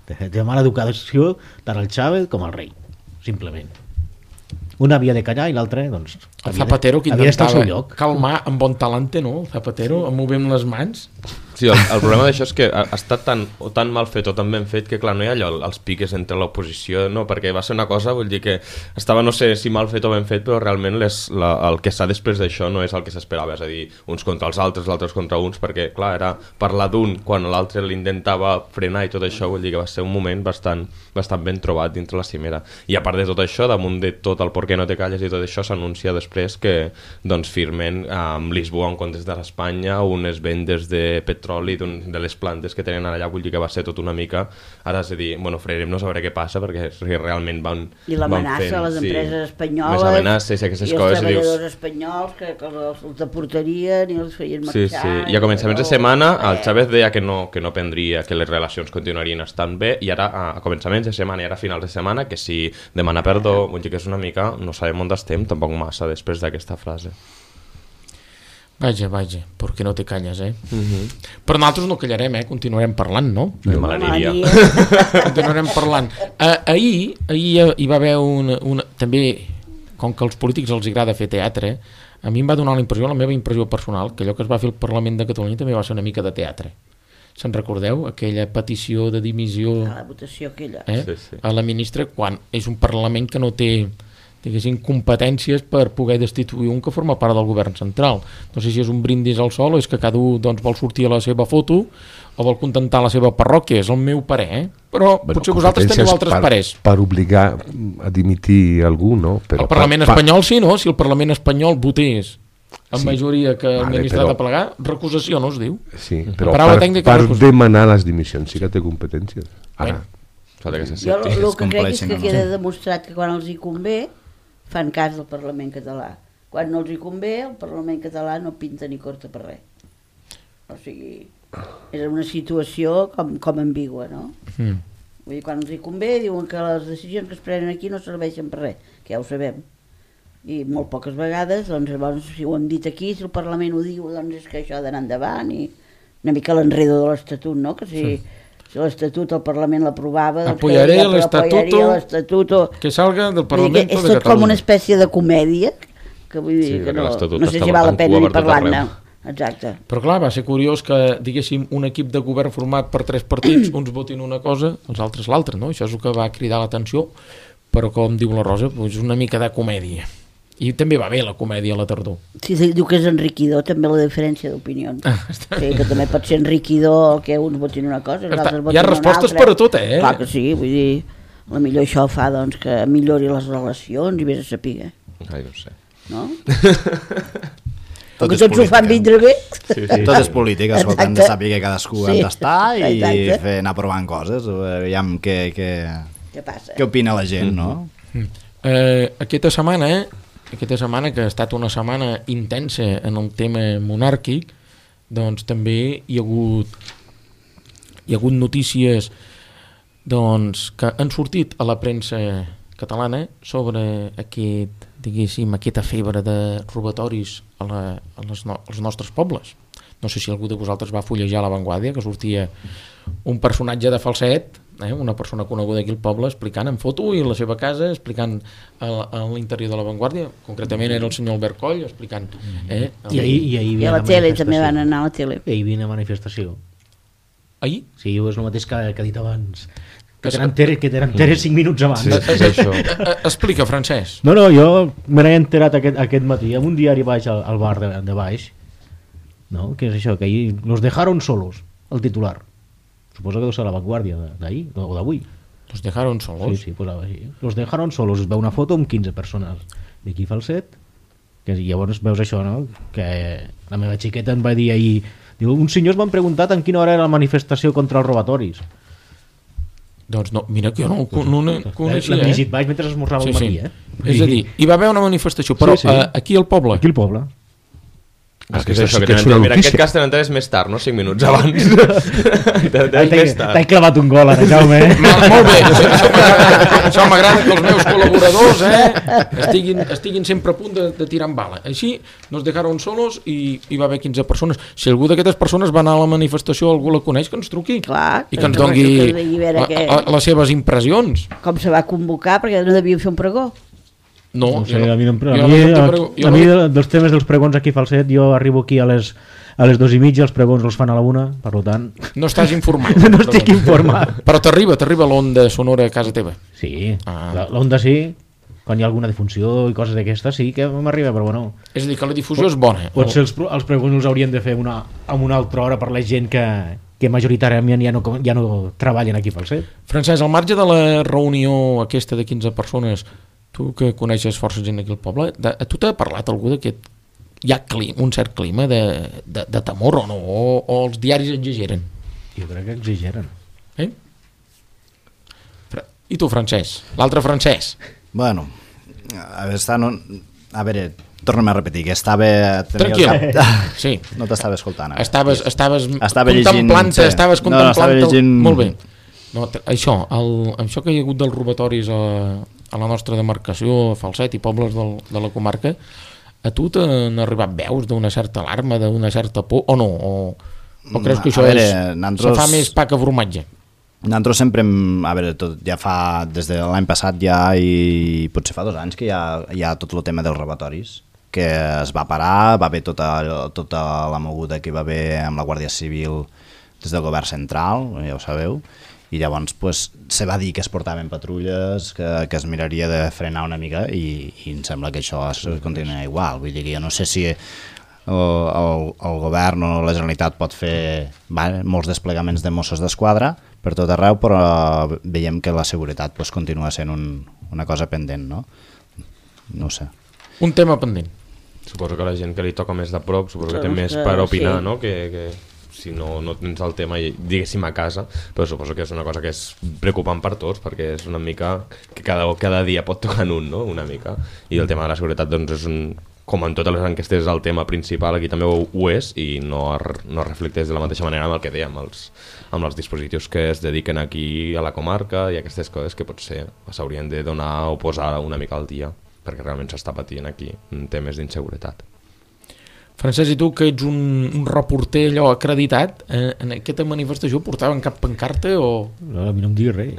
De mala educació, tant el Chávez com el rei, simplement. Un havia de callar i l'altre, doncs... El Zapatero que intentava calmar amb bon talante, no? El Zapatero, movent les mans... Sí, el problema d'això és que ha estat tan mal fet o tan ben fet que, clar, no hi ha allò, els piques entre l'oposició, no, perquè va ser una cosa, vull dir que estava, no sé si mal fet o ben fet, però realment el que s'ha després d'això no és el que s'esperava, és a dir, uns contra els altres contra uns, perquè, clar, era parlar d'un quan l'altre l'intentava frenar i tot això, vull dir que va ser un moment bastant ben trobat dintre la cimera. I a part de tot això, damunt de tot el ¿Por qué no te calles? I tot això, s'anuncia després que, doncs, firmen amb Lisboa en comptes d'Espanya unes vendes de petroli de les plantes que tenen allà, vull dir que va ser tot una mica, ara és a dir, bueno, freirem-nos a veure què passa, perquè realment van fent... I l'amenaça a les empreses espanyoles, més amenaces i aquestes coses. I els treballadors espanyols que els deportarien i els feien marxar. Sí. I a començaments de setmana el Chávez deia que no prendria, que les relacions continuarien estant bé, i ara a començaments de setmana i ara a finals de setmana que si demana perdó, vull dir que és una mica, no sabem on estem tampoc massa després d'aquesta frase. Vaja, ¿por qué no te calles, Però nosaltres no callarem, continuarem parlant, no? De malaniria. Continuarem parlant. Ahir hi va haver una... També, com que als polítics els agrada fer teatre, a mi em va donar la meva impressió personal, que allò que es va fer al Parlament de Catalunya també va ser una mica de teatre. Se'n recordeu? Aquella petició de dimissió... A la votació aquella. Sí. A la ministra, quan és un Parlament que no té... diguéssim, competències per poder destituir un que forma part del govern central. No sé si és un brindis al sol o és que cada un vol sortir a la seva foto o vol contentar la seva parròquia, és el meu parer, però potser vosaltres teniu altres parers. Per obligar a dimitir algú, no? Però el Parlament espanyol sí, no? Si el Parlament espanyol votés amb majoria que el ministre ha de plegar, recusació no es diu? Sí, però per demanar les dimissions sí que té competències. Ara. Jo el que crec és que queda demostrat que quan els hi convé fan cas del Parlament català. Quan no els hi convé, el Parlament català no pinta ni corta per res. O sigui, és una situació com ambigua, no? Vull dir, quan els hi convé diuen que les decisions que es prenen aquí no serveixen per res, que ja ho sabem. I molt poques vegades, doncs llavors, si ho hem dit aquí, si el Parlament ho diu, doncs és que això ha d'anar endavant, i una mica l'enredo de l'Estatut, no? Que si l'Estatut el Parlament l'aprovava, doncs apoyaré l'Estatut que salga del Parlament de Catalunya. És tot com una espècie de comèdia, que vull dir que no sé si val la pena ni parlar-ne. Exacte. Però clar, va ser curiós que, diguéssim, un equip de govern format per 3 partits, uns votin una cosa, els altres l'altra, no? Això és el que va cridar l'atenció, però com diu la Rosa, doncs una mica de comèdia. I també va bé la comèdia a la tardor. Sí, diu que és enriquidor també la diferència d'opinions. Sí, que també pot ser enriquidor que uns votin una cosa, els altres votin una altra. Hi ha respostes per a tot, eh? Clar que sí, vull dir, potser això fa doncs, que millori les relacions i vés a saber. Ai, no sé. No? Perquè tots ho fan vindre bé. Sí. Tot és política, hem de saber que cadascú ha d'estar i anar provant coses, veiem què opina la gent, no? Aquesta setmana, que ha estat una setmana intensa en el tema monàrquic, doncs també hi ha hagut notícies doncs, que han sortit a la premsa catalana sobre aquesta febre de robatoris als nostres pobles. No sé si algú de vosaltres va fullejar La Vanguardia, que sortia un personatge de falset, una persona coneguda aquí al poble, explicant en foto i la seva casa, explicant a l'interior de La Vanguardia, concretament era el senyor Albert Coll, explicant... I a la tele també van anar a la tele. I hi havia una manifestació. Ahir? Sí, és el mateix que ha dit abans. Que t'eren enteres 5 minuts abans. Sí, és això. Explica, Francesc. No, jo me n'he enterat aquest matí amb un diari baix al bar de baix, no? Que és això, que ahir los dejaron solos, el titular. Suposo que deu ser La Vanguardia d'ahir o d'avui. Los dejaron solos? Sí, posava així. Los dejaron solos. Es veu una foto amb 15 persones d'aquí Falset, que llavors veus això, no? Que la meva xiqueta em va dir ahir, diu, uns senyors m'han preguntat en quina hora era la manifestació contra els robatoris. Doncs no, mira que jo no ho coneixia. L'hem llegit baix mentre esmorzava al matí, És a dir, hi va haver una manifestació, però aquí al poble. Aquí al poble. És que és això, que en aquest cas te n'enteres més tard, no? 5 minuts abans. T'he clavat un gol ara, Jaume. Molt bé, això m'agrada que els meus col·laboradors estiguin sempre a punt de tirar amb bala. Així nos dejaron solos i hi va haver 15 persones. Si algú d'aquestes persones va anar a la manifestació, algú la coneix, que ens truqui. Clar, i que ens doni les seves impressions. Com se va convocar, perquè no devia fer un pregó. No sé, a mi dels temes dels pregons aquí a Falset, jo arribo aquí a les 2:30, els pregons els fan a la 1, per tant... No estàs informat. No estic informat. Però t'arriba l'onda sonora a casa teva? Sí, l'onda sí, quan hi ha alguna difusió i coses d'aquestes sí que m'arriba, però bueno... És a dir, que la difusió és bona. Potser els pregons els haurien de fer a una altra hora per la gent que majoritàriament ja no treballen aquí a Falset. Francesc, al marge de la reunió aquesta de 15 persones, tu que coneixes força gent aquí al poble, a tu t'ha parlat algú que hi ha un cert clima de temor o no? O els diaris exageren? Jo crec que exageren. I tu, Francesc? L'altre Francesc? Bueno, a veure, torna'm a repetir, que estava... Tranquil, sí. No t'estava escoltant. Estaves contemplant-te, estaves contemplant-te... Molt bé. No, això que hi ha hagut dels robatoris a la nostra demarcació, Falset i pobles de la comarca, a tu t'han arribat veus d'una certa alarma, d'una certa por, o no? O creus que això se fa més pa que formatge? Nosaltres sempre, ja fa, des de l'any passat ja, i potser fa 2 anys que hi ha tot el tema dels robatoris, que es va parar, va haver tota la moguda que va haver amb la Guàrdia Civil des del govern central, ja ho sabeu, i llavors se va dir que es portaven patrulles, que es miraria de frenar una mica i em sembla que això continua igual. Vull dir que jo no sé si el govern o la Generalitat pot fer molts desplegaments de Mossos d'Esquadra per tot arreu, però veiem que la seguretat continua sent una cosa pendent, no? No ho sé. Un tema pendent. Suposo que la gent que li toca més de prop, suposo que té més per opinar, no? Que si no tens el tema, diguéssim, a casa, però suposo que és una cosa que és preocupant per tots, perquè és una mica que cada dia pot tocar en un, no? Una mica. I el tema de la seguretat, doncs, com en totes les enquestes, és el tema principal, aquí també ho és, i no reflecteix de la mateixa manera amb el que dèiem, amb els dispositius que es dediquen aquí a la comarca i aquestes coses que potser s'haurien de donar o posar una mica al dia, perquè realment s'està patint aquí temes d'inseguretat. Francesc, i tu, que ets un reporter allò acreditat, en aquesta manifestació portaven cap pancarta o...? No, a mi no em diguis res.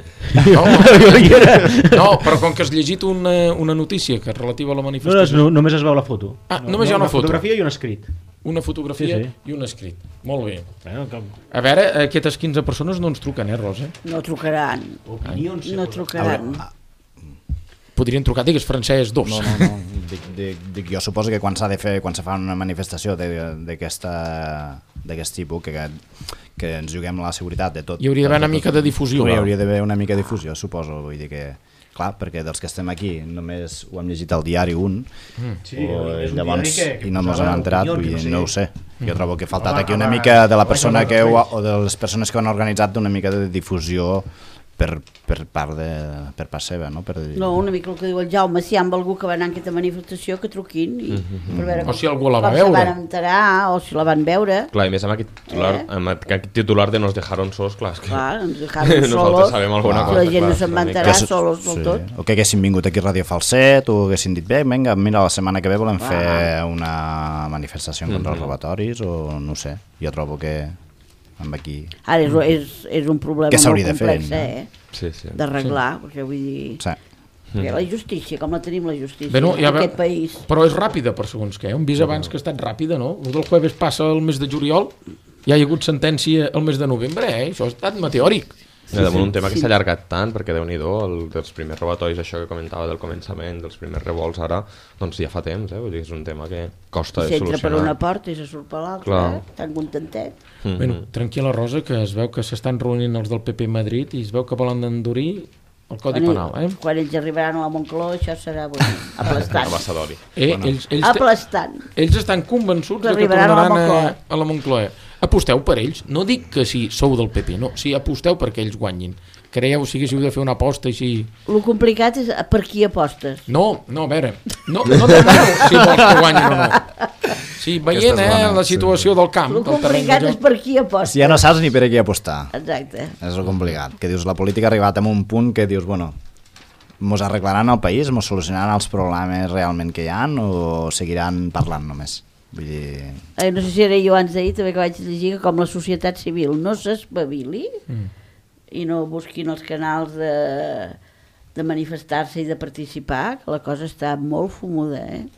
No, però com que has llegit una notícia que és relativa a la manifestació... No, només es veu la foto. Només hi ha una foto. Una fotografia i un escrit. Una fotografia i un escrit. Molt bé. Bueno, a veure, aquestes 15 persones no ens truquen, Rosa? No trucaran. No trucaran. Podrien trucar, digues, Francesc, dos. No. Dic, jo suposo que quan se fa una manifestació d'aquest tipus, que ens juguem la seguretat de tot... Hi hauria d'haver una mica de difusió. Hi hauria d'haver una mica de difusió, suposo. Vull dir que, clar, perquè dels que estem aquí només ho hem llegit al diari llavors, i no ens hem enterat, no ho sé. Jo trobo que ha faltat aquí una mica de la persona o de les persones que ho han organitzat una mica de difusió per part seva, no? No, una mica el que diu el Jaume, si hi ha algú que va anar a aquesta manifestació, que truquin per veure o si algú la va veure, com se van enterar o si la van veure. Clar, i més amb aquest titular de nos dejaron sols, clar, és que nos dejaron solos, sabem alguna cosa, la gent no se'n va enterar solos del tot. O que haguessin vingut aquí a Radio Falset o haguessin dit, vinga, mira, la setmana que ve volem fer una manifestació contra els robatoris o no sé, jo trobo que amb aquí... Ara és un problema molt complex, d'arreglar, perquè vull dir... La justícia, com la tenim la justícia en aquest país. Però és ràpida per segons què, hem vist abans que ha estat ràpida, no? El del jueves passa el mes de juliol, ja hi ha hagut sentència el mes de novembre, això ha estat meteòric. Damunt un tema que s'ha allargat tant, perquè Déu-n'hi-do, dels primers robatoris, això que comentava del començament, dels primers revolts ara, doncs ja fa temps, vull dir, és un tema que costa de solucionar. S'entra per una porta i se surt per l'altra, tan contentet. Bueno, tranquil·la, Rosa, que es veu que s'estan reunint els del PP a Madrid i es veu que volen endurir el Codi Penal. Quan ells arribaran a la Moncloa, això serà aplastant. Aplastant. Ells estan convençuts que tornaran a la Moncloa. Aposteu per ells, no dic que si sou del PP, no, si aposteu perquè ells guanyin. Creieu, si haguéssiu de fer una aposta així... El complicat és per qui apostes. No, a veure, no demano si vols que guanyin o no. Sí, veient la situació del camp. El complicat és per qui apostes. Ja no saps ni per a qui apostar. Exacte. És el complicat, que dius, la política ha arribat a un punt que dius, bueno, mos arreglaran el país, mos solucionaran els problemes realment que hi ha o seguiran parlant només? Vull dir... No sé si era jo abans d'ahir també que vaig llegir que com la societat civil no s'espavili i no busquin els canals de manifestar-se i de participar, que la cosa està molt fumuda,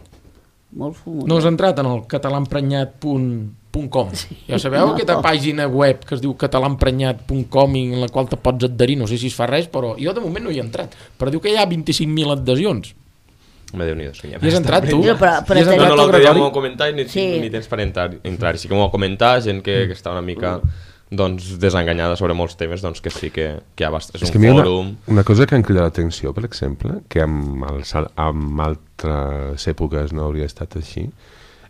molt fumuda. No has entrat en el catalàemprenyat.com. Ja sabeu aquesta pàgina web que es diu catalàemprenyat.com i en la qual te pots adherir, no sé si es fa res, però jo de moment no hi he entrat, però diu que hi ha 25.000 adhesions. Déu-n'hi-do, I has entrat tu? No, l'altre dia m'ho comentar i ni tens per entrar. Sí que m'ho comentar, gent que està una mica desenganyada sobre molts temes, doncs que sí que hi ha és un fòrum. Una cosa que em crida l'atenció, per exemple, que en altres èpoques no hauria estat així,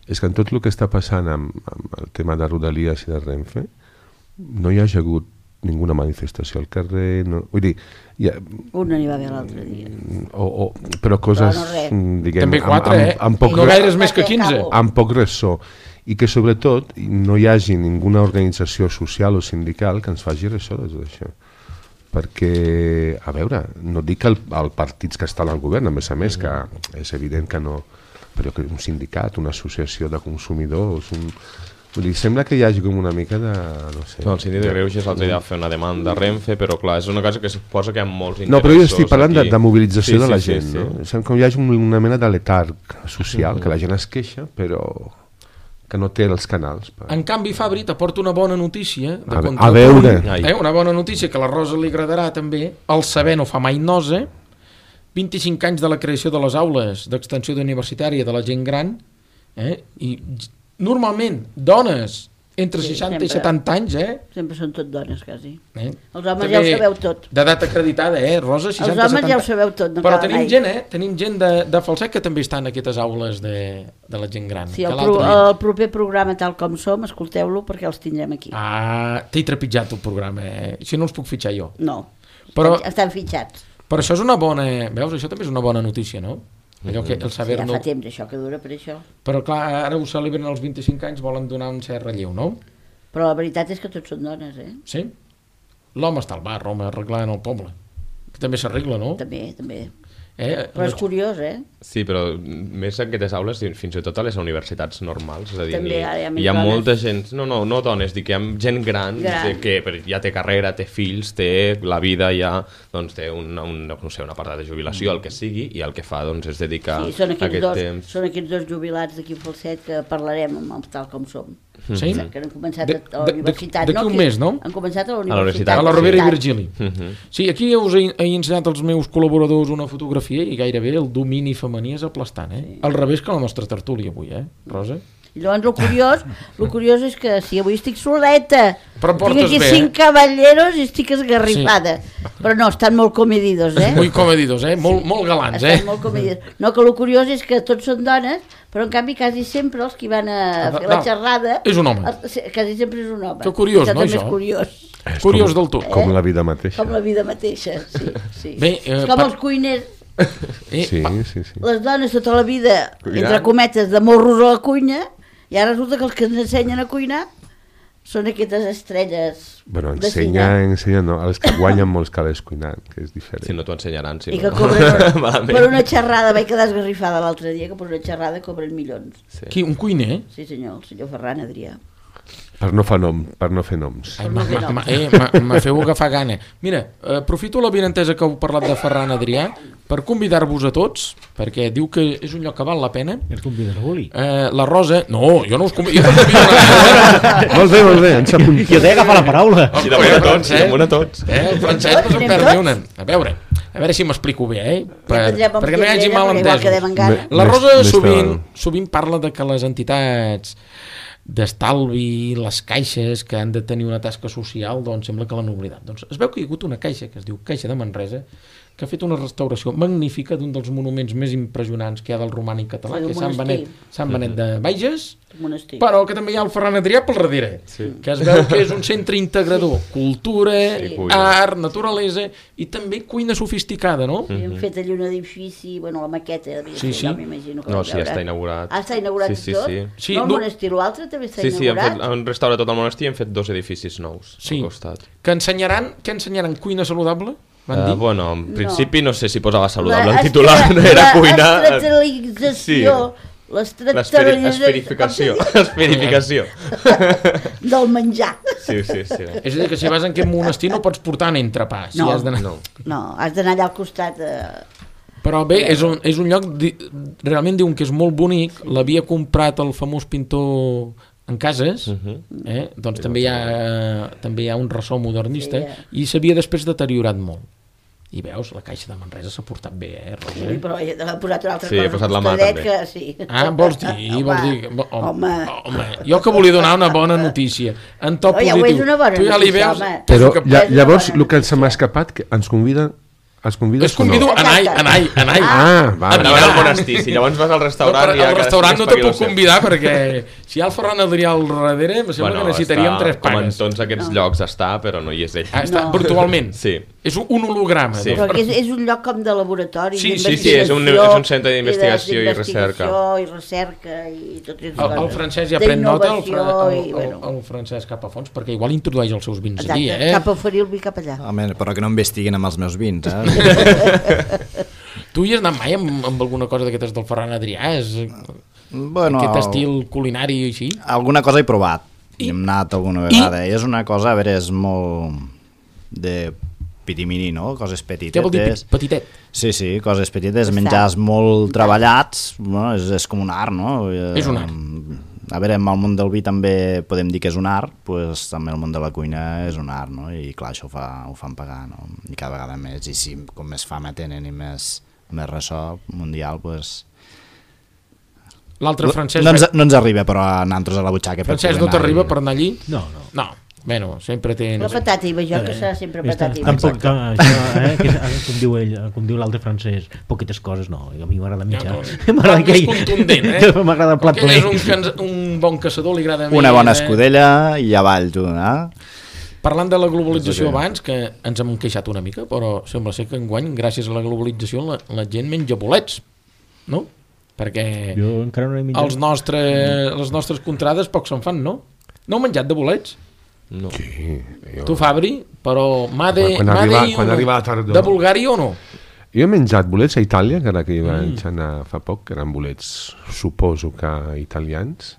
és que en tot el que està passant amb el tema de Rodalies i de Renfe no hi ha hagut ninguna manifestació al carrer, vull dir... Una n'hi va haver l'altre dia. Però coses, diguem... També 4, no gaires més que 15. Amb poc ressò. I que sobretot no hi hagi ninguna organització social o sindical que ens faci ressò d'això. Perquè, a veure, no dic que el partits que estan al govern, a més, que és evident que no... Però que un sindicat, una associació de consumidors... Vull dir, sembla que hi hagi com una mica de... no sé... No, el síndic de Greuges l'altre dia va fer una demanda a Renfe, però clar, és una cosa que suposa que hi ha molts interessos... No, però jo estic parlant de mobilització de la gent, no? Sembla que hi hagi una mena de letarg social, que la gent es queixa, però que no té els canals. En canvi, Fabri, t'aporta una bona notícia... A veure... Una bona notícia que a la Rosa li agradarà també. El saber no fa mai nosa. 25 anys de la creació de les aules d'extensió universitària de la gent gran, i... Normalment, dones entre 60 i 70 anys, Sempre són tot dones, quasi. Els homes També ja ho sabeu tot. D'edat acreditada, Rosa? 60, Els homes 70. ja ho sabeu tot, no Però cal tenim mai. gent, tenim gent de Falset que també està en aquestes aules de la gent gran. Sí, el proper programa Tal com som, escolteu-lo perquè els tindrem aquí. T'he trepitjat el programa, Així no els puc fitxar jo. No, estan fitxats. Però això és una bona... Veus, això també és una bona notícia, no? Allò que el saber Ja fa temps això que dura per això. Però clar, ara ho celebren als 25 anys, volen donar un cert relleu, no? Però la veritat és que tots són dones, Sí? L'home està al bar, home, arreglant el poble. Que també s'arregla, no? També. Però és curiós, Sí, però més en aquestes aules, fins i tot a les universitats normals, és a dir, També hi ha molta gent, no dones, dic que hi ha gent gran. Que ja té carrera, té fills, té la vida ja, doncs té una part de jubilació, el que sigui, i el que fa doncs és dedicar aquest temps. Són aquests dos jubilats d'aquí a Falset que parlarem amb Tal com som. Sí? Que han començat a la universitat. D'aquí un mes, no? Han començat a la universitat. A la Rovira i Virgili. Sí, aquí us he ensenyat als meus col·laboradors una fotografia i gairebé el domini femení és aplastant, Al revés que la nostra tertúlia avui, Rosa? I llavors el curiós és que si avui estic soleta, tinc aquí 5 cavalleros i estic esgarrifada. Però no, estan molt comedidos, Molt comedidos, molt galants, Estan molt comedidos. No, que el curiós és que tots són dones, però en canvi quasi sempre els que van a fer la xerrada... És un home. Quasi sempre és un home. Que curiós, no, això? És curiós del tot. Com la vida mateixa. Com la vida mateixa, sí. Bé, és com els cuiners. Sí. Les dones tota la vida, entre cometes, de morros a la cuina, i ara resulta que els que ens ensenyen a cuinar són aquestes estrelles de cine. Ensenya, no, els que guanyen molts calés cuinant, que és diferent. Si no t'ho ensenyaran, si I no. que cobren per una xerrada, vaig quedar esgarrifada l'altre dia, que per una xerrada cobren milions. Qui, un cuiner? Sí senyor, el senyor Ferran Adrià. Per no fer noms. Me feu agafar gana. Mira, aprofito l'avinentesa que heu parlat de Ferran Adrià per convidar-vos a tots, perquè diu que és un lloc que val la pena. Els convides a Guli? La Rosa... No, jo no us convido. Molt bé, ens apuntem. Jo t'he agafat la paraula. Sí, damunt a tots. El Francesc no se'n perdi una. A veure si m'explico bé, perquè no hi hagi malentesos. La Rosa sovint parla de que les entitats d'estalvi, les caixes que han de tenir una tasca social, doncs sembla que l'han oblidat. Doncs es veu que hi ha hagut una caixa que es diu Caixa de Manresa, que ha fet una restauració magnífica d'un dels monuments més impressionants que hi ha del romànic català, que és Sant Benet de Bages, però que també hi ha el Ferran Adrià pel darrere, que es veu que és un centre integrador, cultura, art, naturalesa i també cuina sofisticada, no? I han fet allà un edifici, bueno, la maqueta, m'imagino que no, sí, està inaugurat. Està inaugurat tot? No el monestir, l'altre també està inaugurat? Sí, han restaurat tot el monestir i han fet 2 edificis nous al costat. Què ensenyaran? Cuina saludable? Bueno, en principi no sé si posava saludable el titular, no era cuina... L'estratificació. L'esferificació del menjar. Sí. És a dir, que si vas en aquest monestir no pots portar entrepà. No, has d'anar allà al costat. Però bé, és un lloc, realment diuen que és molt bonic, l'havia comprat el famós pintor en Cases, doncs també hi ha un ressò modernista i s'havia després deteriorat molt. I veus, la Caixa de Manresa s'ha portat bé, Rosa? Sí, però ha posat una altra cosa. Sí, ha posat la mà també. Vols dir? Home, jo que volia donar una bona notícia. En to positiu. Ja ho és una bona notícia, home. Però llavors el que se m'ha escapat, que ens conviden... Els convido a anar-hi. A veure el monestir. Si llavors vas al restaurant... Al restaurant no te puc convidar perquè si hi ha el Ferran Adrià al darrere em sembla que necessitaríem 3 panes. Com en tots aquests llocs està, però no hi és ell. Està virtualment. Sí. És un holograma. Però és un lloc com de laboratori, d'investigació. Sí, és un centre d'investigació i recerca. I tot això. El francès ja pren nota, el francès cap a fons, perquè igual introdueix els seus vins aquí, cap a oferir el vi cap allà. Però que no investiguen amb els meus vins, Tu hi has anat mai amb alguna cosa d'aquestes del Ferran Adrià? Aquest estil culinari i així? Alguna cosa he provat i hem anat alguna vegada i és una cosa, a veure, és molt de pitimini, no? Coses petites. Què vol dir petitet? Sí, coses petites, menjars molt treballats, és com un art, no? És un art. A veure, en el món del vi també podem dir que és un art, doncs també el món de la cuina és un art, no? I clar, això ho fan pagar, no? I cada vegada més, i si com més fama tenen i més ressò mundial, doncs... L'altre francès... No ens arriba, però a nosaltres a la butxaca. Francesc, no t'arriba per anar allí? No. Bueno, sempre té... La patata i jo, que serà sempre patata i tampoc, com diu l'altre francès, poquites coses, no, a mi m'agrada mitjà. M'agrada més contundent, m'agrada el plat ple. És un bon caçador, li agrada més. Una bona escudella i avall, tu, Parlant de la globalització abans, que ens hem queixat una mica, però sembla ser que enguany, gràcies a la globalització, la gent menja bolets, no? Perquè jo encara no he menjat. Les nostres contrades poc se'n fan, no? No heu menjat de bolets? No. Sí, Tu, Fabri, però quan arriba la tardor. De Bulgària o no? Jo he menjat bolets a Itàlia, que ara que hi vaig anar fa poc, que eren bolets, suposo que italians,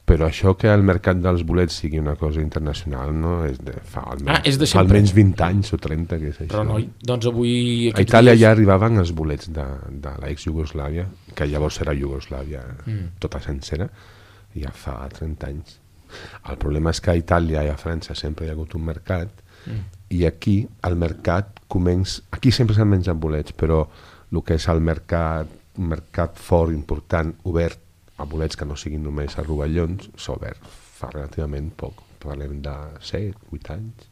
però això que el mercat dels bolets sigui una cosa internacional, no? És de fa almenys 20 anys o 30, que és això. Però noi, doncs avui... A Itàlia ja arribaven els bolets de l'ex-Iugoslàvia, que llavors era Iugoslàvia tota sencera, ja fa 30 anys. El problema és que a Itàlia i a França sempre hi ha hagut un mercat i aquí el mercat aquí sempre s'han menjat bolets, però el que és el mercat fort, important, obert a bolets que no siguin només a rovellons, s'ha obert fa relativament poc, parlem de 7-8 anys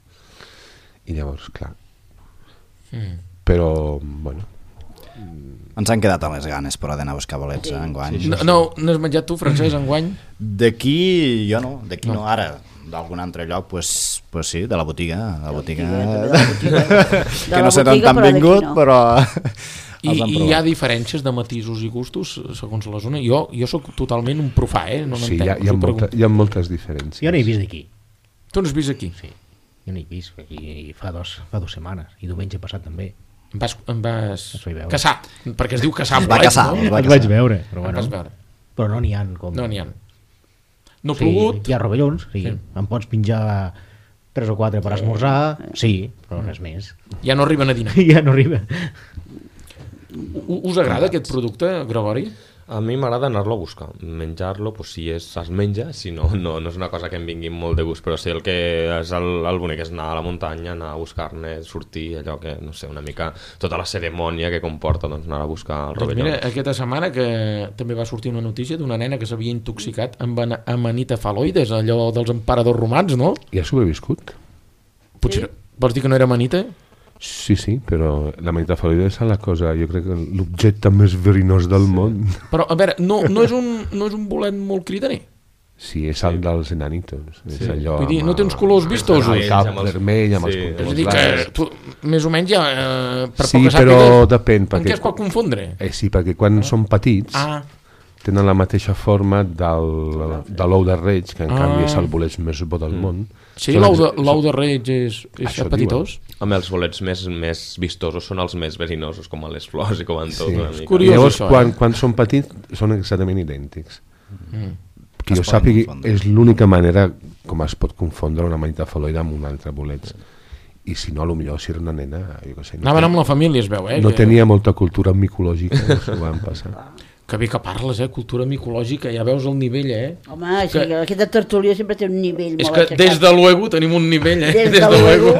i llavors, clar però, bueno, ens han quedat amb les ganes però d'anar a buscar bolets enguany. No has menjat tu, Francesc, enguany? D'aquí jo no, no. Ara d'algun altre lloc pues sí, de la botiga que no sé d'on t'han vingut però I hi ha diferències de matisos i gustos segons la zona. Jo soc totalment un profà, no sí, hi ha moltes diferències. Jo no he vist d'aquí. Tu no has vist aquí? Sí, jo no he vist aquí fa 2 setmanes i diumenge passat també. Em vas caçar, perquè es diu caçar va caçar, no? Et vaig veure, però bueno. Veure. Però no n'hi ha com... No n'hi ha. No ha plogut. Hi ha rovellons, sí. Em pots pinjar 3 o 4 per esmorzar, sí, però res més. Ja no arriben a dinar. Ja no arriben. Us agrada aquest producte, Gregori? A mi m'agrada anar-lo a buscar, menjar-lo, pues, si es menja, si no és una cosa que em vingui molt de gust, però sí, el que és el bonic és anar a la muntanya, anar a buscar-ne, sortir, allò que, no sé, una mica, tota la cerimònia que comporta, doncs, anar a buscar el rovelló. Mira, aquesta setmana que també va sortir una notícia d'una nena que s'havia intoxicat amb amanita faloides, allò dels emperadors romans, no? I ha sobreviscut? Potser, vols dir que no era amanita? Sí, però la amanita faloide és la cosa, jo crec que l'objecte més verinós del món. Però, a veure, no és un bolet molt cridaner? Sí, és el dels enanitos. Sí. És allò, vull dir, no té uns colors vistosos. El cap vermell, amb els contorns. És a dir, que tu, més o menys ja... Per sí, però depèn. En què es pot confondre? Sí, perquè quan són petits... tenen la mateixa forma de l'ou de reig, que en canvi és el bolet més bo del món. Sí, l'ou de reig és petitós. Amb els bolets més vistosos són els més verinosos, com a les flors i com en tot. Sí. Llavors, quan són petits, són exactament idèntics. Que jo sàpigui, és l'única manera com es pot confondre una amanita faloide amb un altre bolet. I si no, potser si era una nena... Anaven amb la família, es veu, No tenia molta cultura micològica, s'ho van passar. Que bé que parles, cultura micològica, ja veus el nivell, Home, sí, aquesta tertúlia sempre té un nivell molt aixecat. És que des de luego tenim un nivell, Des de luego.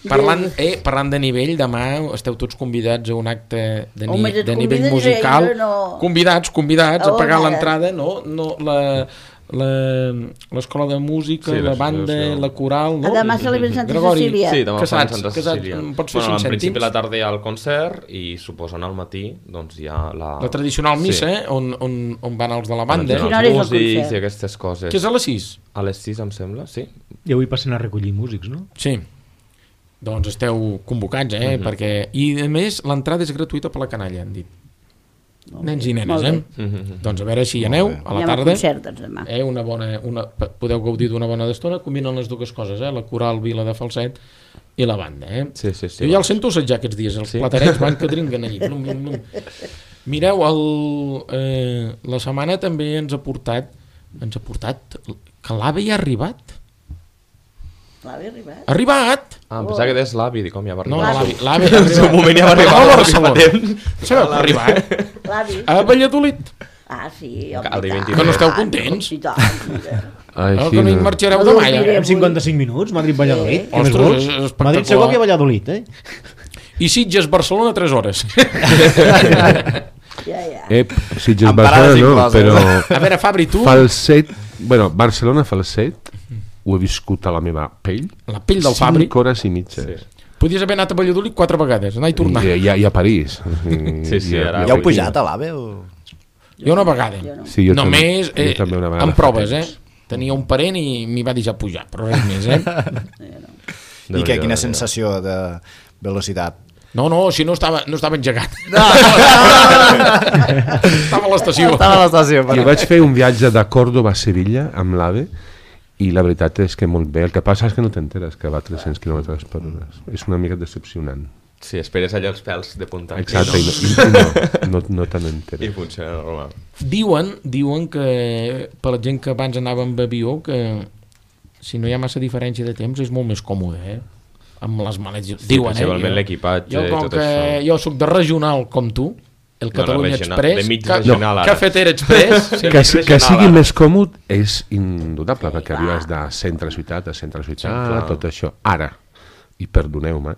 Parlant de nivell, demà esteu tots convidats a un acte de nivell musical. Convidats a pagar l'entrada, no? L'escola de música, la banda, la coral, no? Demà celebrem Santa Cecília. Sí, demà fan Santa Cecília. Pots fer 5 cèntims? Al principi a la tarda hi ha el concert i suposen al matí doncs hi ha la tradicional missa, on van els de la banda. Els músics i aquestes coses. Que és a les 6? A les 6 em sembla, sí. I avui passen a recollir músics, no? Sí. Doncs esteu convocats, perquè... I a més, l'entrada és gratuïta per la canalla, han dit. Nens i nenes, Doncs a veure si hi aneu a la tarda. Podeu gaudir d'una bona estona, combinen les dues coses, la coral Vila de Falset i la banda. Sí, jo ja el sento assetjar aquests dies, els platerets van que dringuen allí. Mireu, la setmana també ens ha portat que l'AVE ja ha arribat. L'AVE ha arribat? Ha arribat! Pensava que deies l'AVI, dic, com ja va arribar. No, l'AVE ha arribat. En un moment ja va arribar. A Barcelona. Sabeu que ha arribat? L'AVI. A Valladolid. Sí, que no esteu contents? Que no hi marxareu demà, ja. En 55 minuts, Madrid-Valladolid. Ostres, és espectacular. Madrid-Segovia-Valladolid, I Sitges-Barcelona 3 hores. Sitges Barcelona no, però... A veure, Fabri, tu... Falset, bueno, Barcelona Falset, ho he viscut a la meva pell. La pell del Fabri. 5 hores i mitges. Sí. Podies haver anat a Valladolid 4 vegades, anar i tornar. I a París. Sí, ara... Ja heu pujat a l'AVE? O... Jo una vegada. Sí, jo només també una vegada amb proves, Tenia un parent i m'hi va deixar pujar, però res més, I què, quina sensació de velocitat? No, si no estava engegat. Estava a l'estació. Jo vaig fer un viatge de Córdoba a Sevilla amb l'AVE i la veritat és que molt bé. El que passa és que no t'enteres que va a 300 km/h. És una mica decepcionant. Sí, esperes allà els pèls de punta. Exacte, no te n'enteres. I funciona normal. Diuen que per la gent que abans anava amb avió que si no hi ha massa diferència de temps és molt més còmode, amb les maletes. Sí, principalment l'equipatge i tot això. Jo soc de regional com tu, el Catalunya Express, de mig regional ara. Cafetera Express. Que sigui més còmode és indudable, perquè arribes de centre a ciutat a centre a ciutat, tot això. Ara, i perdoneu-me,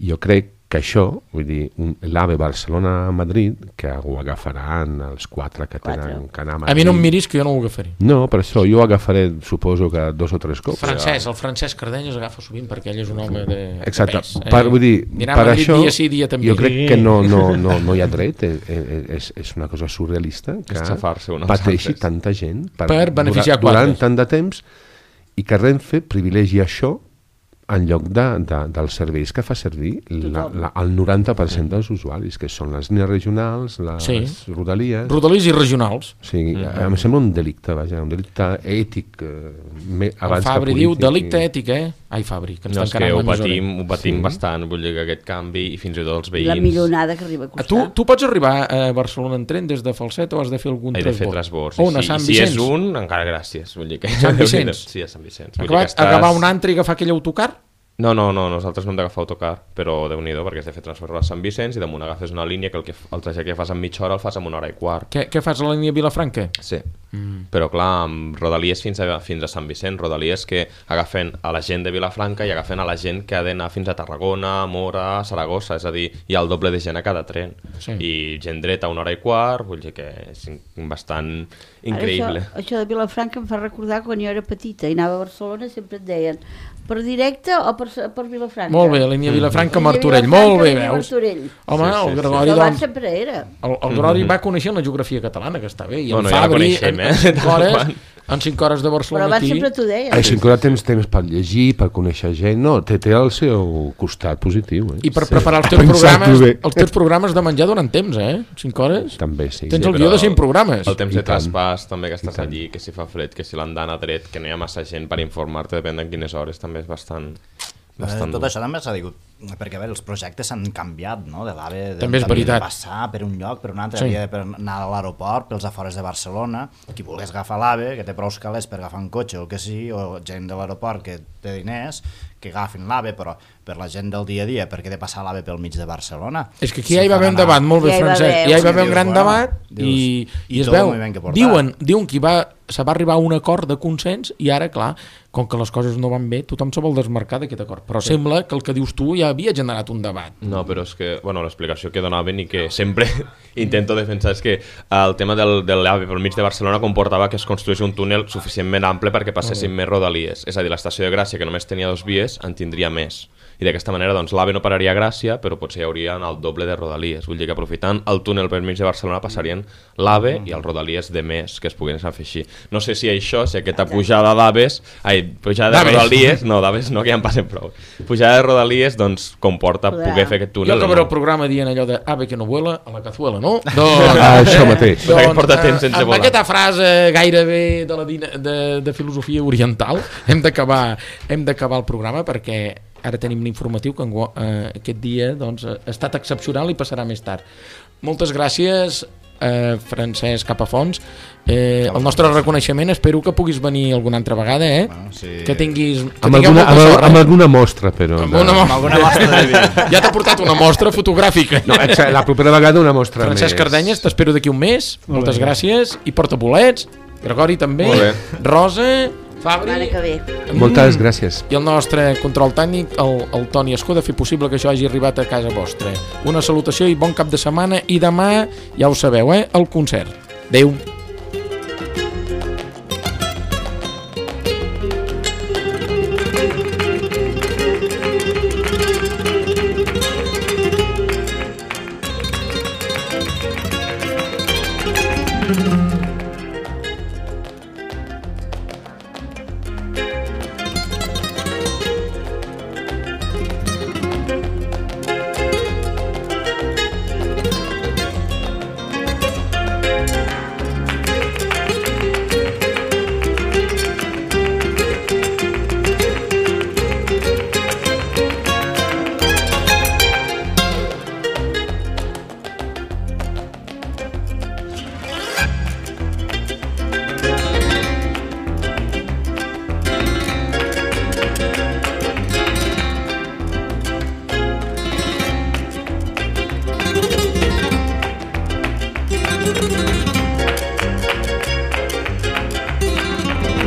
jo crec que això, vull dir, l'AVE Barcelona-Madrid, que ho agafaran els 4 que tenen que anar a Madrid. A mi no em miris que jo no ho agafaré. No, per això jo ho agafaré, suposo que 2 o 3 cops. El Francesc Cardenyes agafa sovint perquè ell és un home de exacte. pes. Vull dir, per això dia sí, dia també. jo crec que no hi ha dret, és una cosa surrealista que pateixi tanta gent per beneficiar durant tant de temps i que Renfe privilegi això en lloc dels serveis que fa servir el 90% dels usuaris, que són les línies regionals, les rodalies... Rodalies i regionals. Sí, em sembla un delicte, vaja, un delicte ètic abans que Fabri diu delicte ètic, Ai, Fabri, que ens tancaran l'emissora. Ho patim bastant, vull dir que aquest canvi, i fins i tot els veïns... La milionada que arriba a costar. Tu pots arribar a Barcelona en tren des de Falset o has de fer algun transbord? He de fer transbord. On, a Sant Vicenç? Si és un, encara gràcies. Vull dir que... Sant Vicenç? Sí, a Sant Vicenç. Acabar un antre i agafar aquell autocar? No, nosaltres no hem d'agafar autocar, però Déu-n'hi-do, perquè has de fer transbord a Sant Vicenç i damunt agafes una línia que el trajecte que fas en mitja hora el fas en 1 hora i quart. Què fas a la línia Vilafranca? Sí, però clar, amb Rodalies fins a Sant Vicenç, Rodalies que agafen a la gent de Vilafranca i agafen a la gent que ha d'anar fins a Tarragona, Mora, Saragossa, és a dir, hi ha el doble de gent a cada tren. I gent dreta 1 hora i quart, vull dir que és bastant increïble. Això de Vilafranca em fa recordar quan jo era petita i anava a Barcelona, sempre et deien per directe o per Vilafranca? Molt bé, línia Vilafranca-Martorell, molt bé, veus? Home, el Gregori doncs... sempre era. El Gregori va conèixer la geografia catalana, que està bé, i el Fabri, en 5 hores de Barcelona aquí... Però abans sempre t'ho deia. En 5 hores tens temps per llegir, per conèixer gent, no, té el seu costat positiu. I per preparar els teus programes de menjar durant temps, 5 hores? També, sí. Tens el guió de 5 programes. El temps de traspàs, també, que estàs allí, que si fa fred, que si l'andana dret, que no hi ha massa gent per informar-te, depèn de quines hores, també és bastant tot això també s'ha dit, perquè a veure, els projectes s'han canviat, no? De l'AVE també és veritat. De passar per un lloc, per un altre, havia d'anar a l'aeroport, pels afores de Barcelona, qui volgués agafar l'AVE, que té prou calés per agafar un cotxe o el que sigui, o gent de l'aeroport que té diners, que agafin l'AVE, però per la gent del dia a dia, perquè he de passar l'AVE pel mig de Barcelona. És que aquí ja hi va haver un debat, molt bé, Francesc, ja hi va haver un gran debat i es veu, diuen que se va arribar a un acord de consens i ara, clar, com que les coses no van bé, tothom se vol desmarcar d'aquest acord, però sembla que el que dius tu ja havia generat un debat. No, però és que, bueno, l'explicació que donaven i que sempre intento defensar és que el tema de l'AVE pel mig de Barcelona comportava que es construís un túnel suficientment ample perquè passessin més rodalies, és a dir, l'estació de Gràcia, que només tenia 2 vies, en tindria més. I d'aquesta manera doncs, l'AVE no pararia a Gràcia, però potser hi haurien el doble de rodalies. Vull dir que aprofitant el túnel per mig de Barcelona passarien l'AVE i els rodalies de més que es puguin fer així. No sé si això, si aquesta pujada d'AVEs, pujada de rodalies, no, d'AVEs no, que ja en passen prou. Pujada de rodalies doncs, comporta poder fer aquest túnel. Jo acabaré el programa dient allò de AVE que no vuela a la cazuela, no? Això mateix. Doncs, porta temps sense amb aquesta frase gairebé de filosofia oriental hem d'acabar el programa perquè ara tenim l'informatiu que aquest dia doncs, ha estat excepcional i passarà més tard. Moltes gràcies, Francesc Capafons. El nostre reconeixement, espero que puguis venir alguna altra vegada, Bueno, sí. que tinguis amb alguna mostra, però amb alguna mostra de vi. ja t'ha portat una mostra fotogràfica. No, la propera vegada una mostra Francesc més. Cardenyes, t'espero d'aquí un mes. Moltes gràcies i porta bolets. Gregori també, Rosa Fabri, que ve. Moltes gràcies. I el nostre control tècnic, el Toni Escó, de fer possible que això hagi arribat a casa vostra. Una salutació i bon cap de setmana, i demà, ja ho sabeu, el concert. Adéu.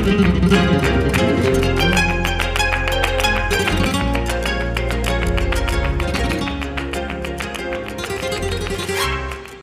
Thank you.